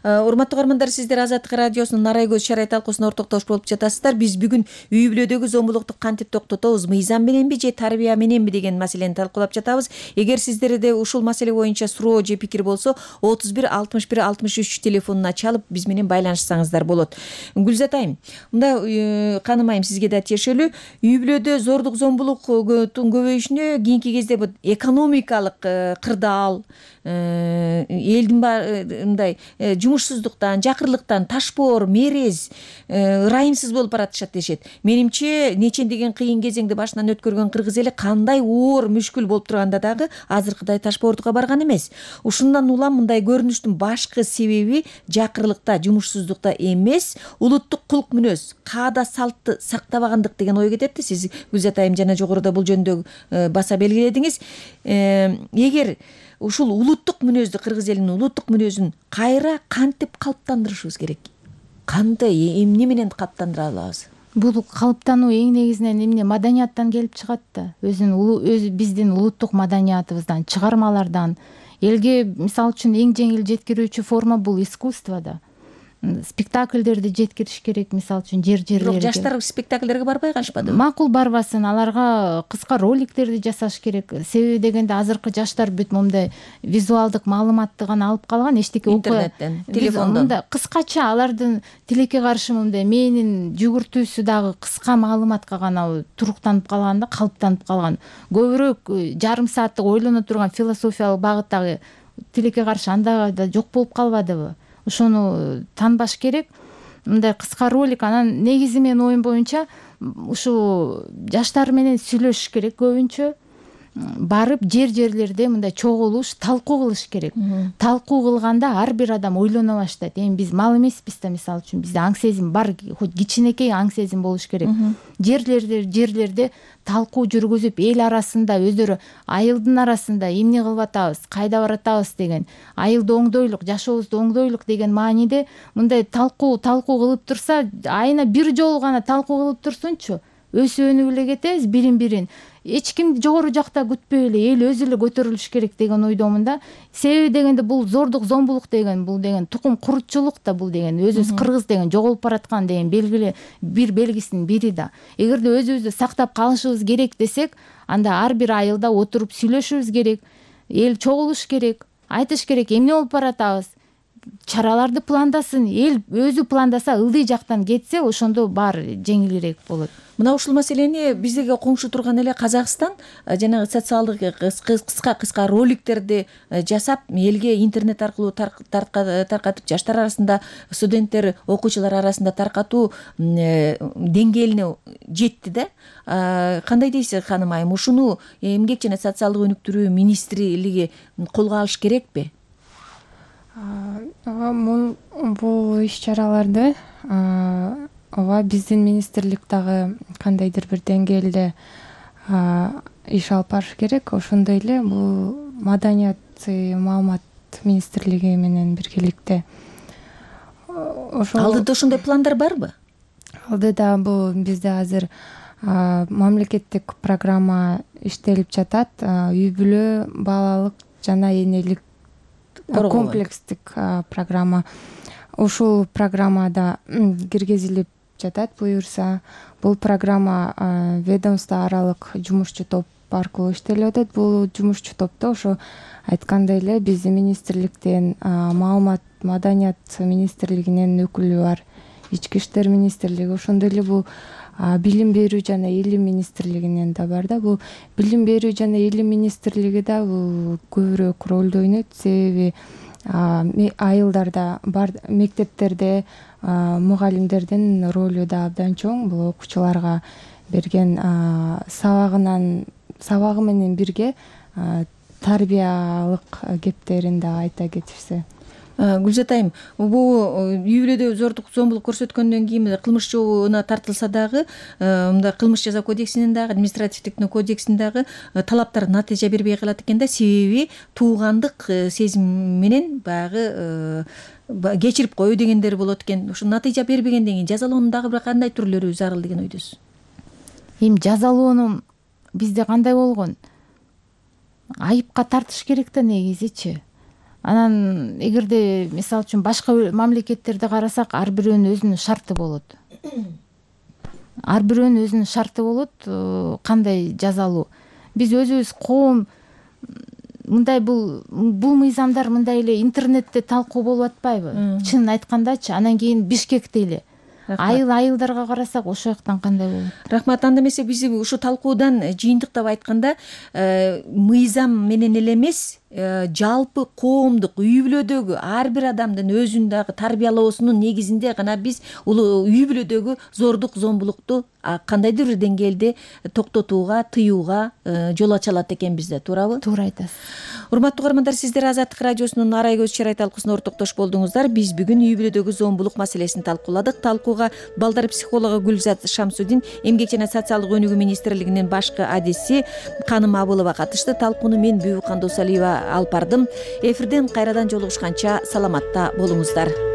S19: Урматтуу угармандар, сиздер Азаттык радиосунун Нарай көз шарай талкуусуна ортоктош болуп жатасыздар. Биз бүгүн үй бүлөдөгү зомбулукту кантип токтотобуз, мыйзам мененби же тарбия мененби деген маселени талкуулап жатабыз. Эгер сиздерде ушул маселе боюнча суроо же пикир болсо, отуз бир алтымыш бир алтымыш үч телефонуна чалып биз менен байланышсаңыздар болот. Гүлзат айым, мында Каным айым сизге да тиешелүү. Үй бүлөдө зордук зомбулуктун көбөйүшүнө кийинки кезде экономикалык кырдаал, элдин мындай жумушсуздуктан, жакырлыктан, ташпоор, мерез, ырайымсыз болуп баратышат дешет. Менимче нечендеген кыйын кезеңди башынан өткөргөн кыргыз эли кандай оор мүшкүл болуп турганда дагы азыркыдай ташпоордукка барган эмес. Ушундан улам мындай көрүнүштүн башкы себеби жакырлыкта, жумушсуздукта эмес, улуттук кулк мүнөз, каада салтты сактабагандык деген ой кетет. Сиз Гүлзат айым жана жогоруда бул жөнүндө баса белгиледиңиз. Эгер ушул улуттук мүнөздү, кыргыз элинин улуттук мүнөзүн кайра кантип калыптандырышыбыз керек? Кандай, эмне менен калыптандыра алабыз?
S20: Бул калыптануу эң негизинен эмне маданияттан келип чыгат да. Өзүнүн өз биздин улуттук маданиятыбыздан, чыгармалардан. Элге мисалы үчүн эң жеңил жеткирүүчү форма бул искусство да. Спектакльдерди жеткириш керек, мисалы үчүн жер жерлерге.
S19: Бирок жаштар спектакльдерге барбай калышпадыбы?
S20: Макул барбасын, аларга кыска роликтерди жасаш керек. Себеби дегенде азыркы жаштар бүт момундай визуалдык маалыматты гана алып калган, эчтеке окуя.
S19: Интернеттен, телефондон.
S20: Кыскача алардын тилекке каршы момундай мээнин жүгүртүүсү дагы кыска маалыматка гана туруктанып калган да, калыптанып калган. Көбүрөөк жарым сааттык ойлоно турган философиялык багыттагы тилекке каршы анда да жок болуп калбадыбы? Ошону танбаш керек. Мындай кыска ролик, анан негизи менин оюм боюнча ушу жаштар менен сүйлөшүш керек көбүнчө. Барып жер жерлерде мындай чогулуш, талкуу кылыш керек. Талкуу кылганда ар бир адам ойлоно баштайт. Эми биз мал эмеспиз да, мисалы үчүн бизде аң сезим бар, хоть кичинекей аң сезим болуш керек. Жерлерде жерлерде талкуу жүргүзүп, эл арасында өздөрү айылдын арасында эмне кылып атабыз, кайда баратабыз деген, айылды оңдойлук, жашообузду оңдойлук деген мааниде мындай талкуу талкуу кылып турса, айына бир жолу гана талкуу кылып турсунчу, өсүп өнүп эле кетебиз бирин-бирин. Эч кимди жогору жакта күтпөй эле эл өзү эле көтөрүлүш керек деген ойдомун да. Себеби дегенде бул зордук, зомбулук деген, бул деген тукум курутчулук да, бул деген өзүбүз кыргыз деген жоголуп бараткан деген белгиле бир белгисинин бири да. Эгерде өзүбүздү сактап калышыбыз керек десек, анда ар бир айылда отуруп сүйлөшүбүз керек, эл чогулуш керек, айтыш керек эмне болуп баратабыз, чараларды пландасын, эл өзү пландаса, ылдый жактан кетсе, ошондо баары жеңилирээк болот.
S19: Мына ушул маселени биздерге коңшу турган эле Казакстан жанагы социалдык кыска кыска роликтерди жасап, элге интернет аркылуу таркатып, жаштар арасында, студенттер, окуучулар арасында таркатуу деңгээлине жетти да. Кандай дейсиз, Ханым айым? Ушуну эмгек жана социалдык өнүктүрүү министрлиги колго алыш керекпи?
S21: Бул иш-чараларды ооба биздин министрлик дагы кандайдыр бир деңгээлде иш алып барыш керек. Ошондой эле бул маданият, маалымат министрлиги менен биргеликте.
S19: Алдыда ошондой пландар барбы?
S21: Алдыда бул бизде азыр мамлекеттик программа иштелип жатат. Үй бүлө, балалык жана энелик комплекстик программа. Ушул программада киргизилип жатат буюрса. Бул программа ведомство аралык жумушчу топ аркылуу иштелип атат. Бул жумушчу топто ошо айткандай эле биздин министрликтен, маалымат, маданият министрлигинен өкүлү бар, ички иштер министрлиги, ошондой эле бул билим берүү жана илим министрлигинен да бар да. Бул билим берүү жана илим министрлиги да бул көбүрөөк ролду ойнойт. Себеби айылдарда бар, мектептерде мугалимдердин ролу да абдан чоң. Бул окуучуларга берген сабагынан сабагы менен бирге тарбиялык кептерин да айта кетишсе.
S6: Гүлзат айым, бул үй бүлөдө зордук зомбулук көрсөткөндөн кийин кылмышчуна тартылса дагы, мындай кылмыш жаза кодексинин дагы, административдик кодексинин дагы талаптар натыйжа бербей калат экен да, себеби туугандык сезим менен баягы кечирип коюу дегендер болот экен. Ошо натыйжа бербегенден кийин жазалоонун дагы бир кандай түрлөрү зарыл деген ойдосуз?
S20: Эми жазалоонун бизде кандай болгон? Айыпка тартыш керек да негизичи. Анан эгерде мисалы үчүн башка мамлекеттерди карасак, ар бирөөнүн өзүнүн шарты болот. Ар бирөөнүн өзүнүн шарты болот, кандай жазалуу. Биз өзүбүз коом мындай бул бул мыйзамдар мындай эле интернетте талкуу болуп атпайбы? Чынын айткандачы, анан кийин Бишкекте эле айыл айылдарга карасак ошол жактан кандай болот?
S6: Рахмат. Анда эмесе биз ушу талкуудан жыйынтыктап айтканда, мыйзам менен эле эмес, жалпы коомдук үй бүлөдөгү ар бир адамдын өзүн дагы тарбиялоосунун негизинде гана биз улуу үй бүлөдөгү зордук зомбулукту кандайдыр бир деңгээлде токтотууга, тыюуга жол ача алат экенбиз да, туурабы?
S20: Туура айтасыз.
S6: Урматтуу угармандар, сиздер Азаттык радиосунун Арай көз чырай талкуусуна ортоктош болдуңуздар. Биз бүгүн үй бүлөдөгү зомбулук маселесин талкууладык. Талкууга балдар психологу Гүлзат Шамсудин, Эмгек жана социалдык өнүгүү министрлигинин башкы адиси Каным Абылова катышты. Талкууну мен Бүбү Кандосалиева алып бардым. Эфирден кайрадан жолугушканча саламатта болуңуздар.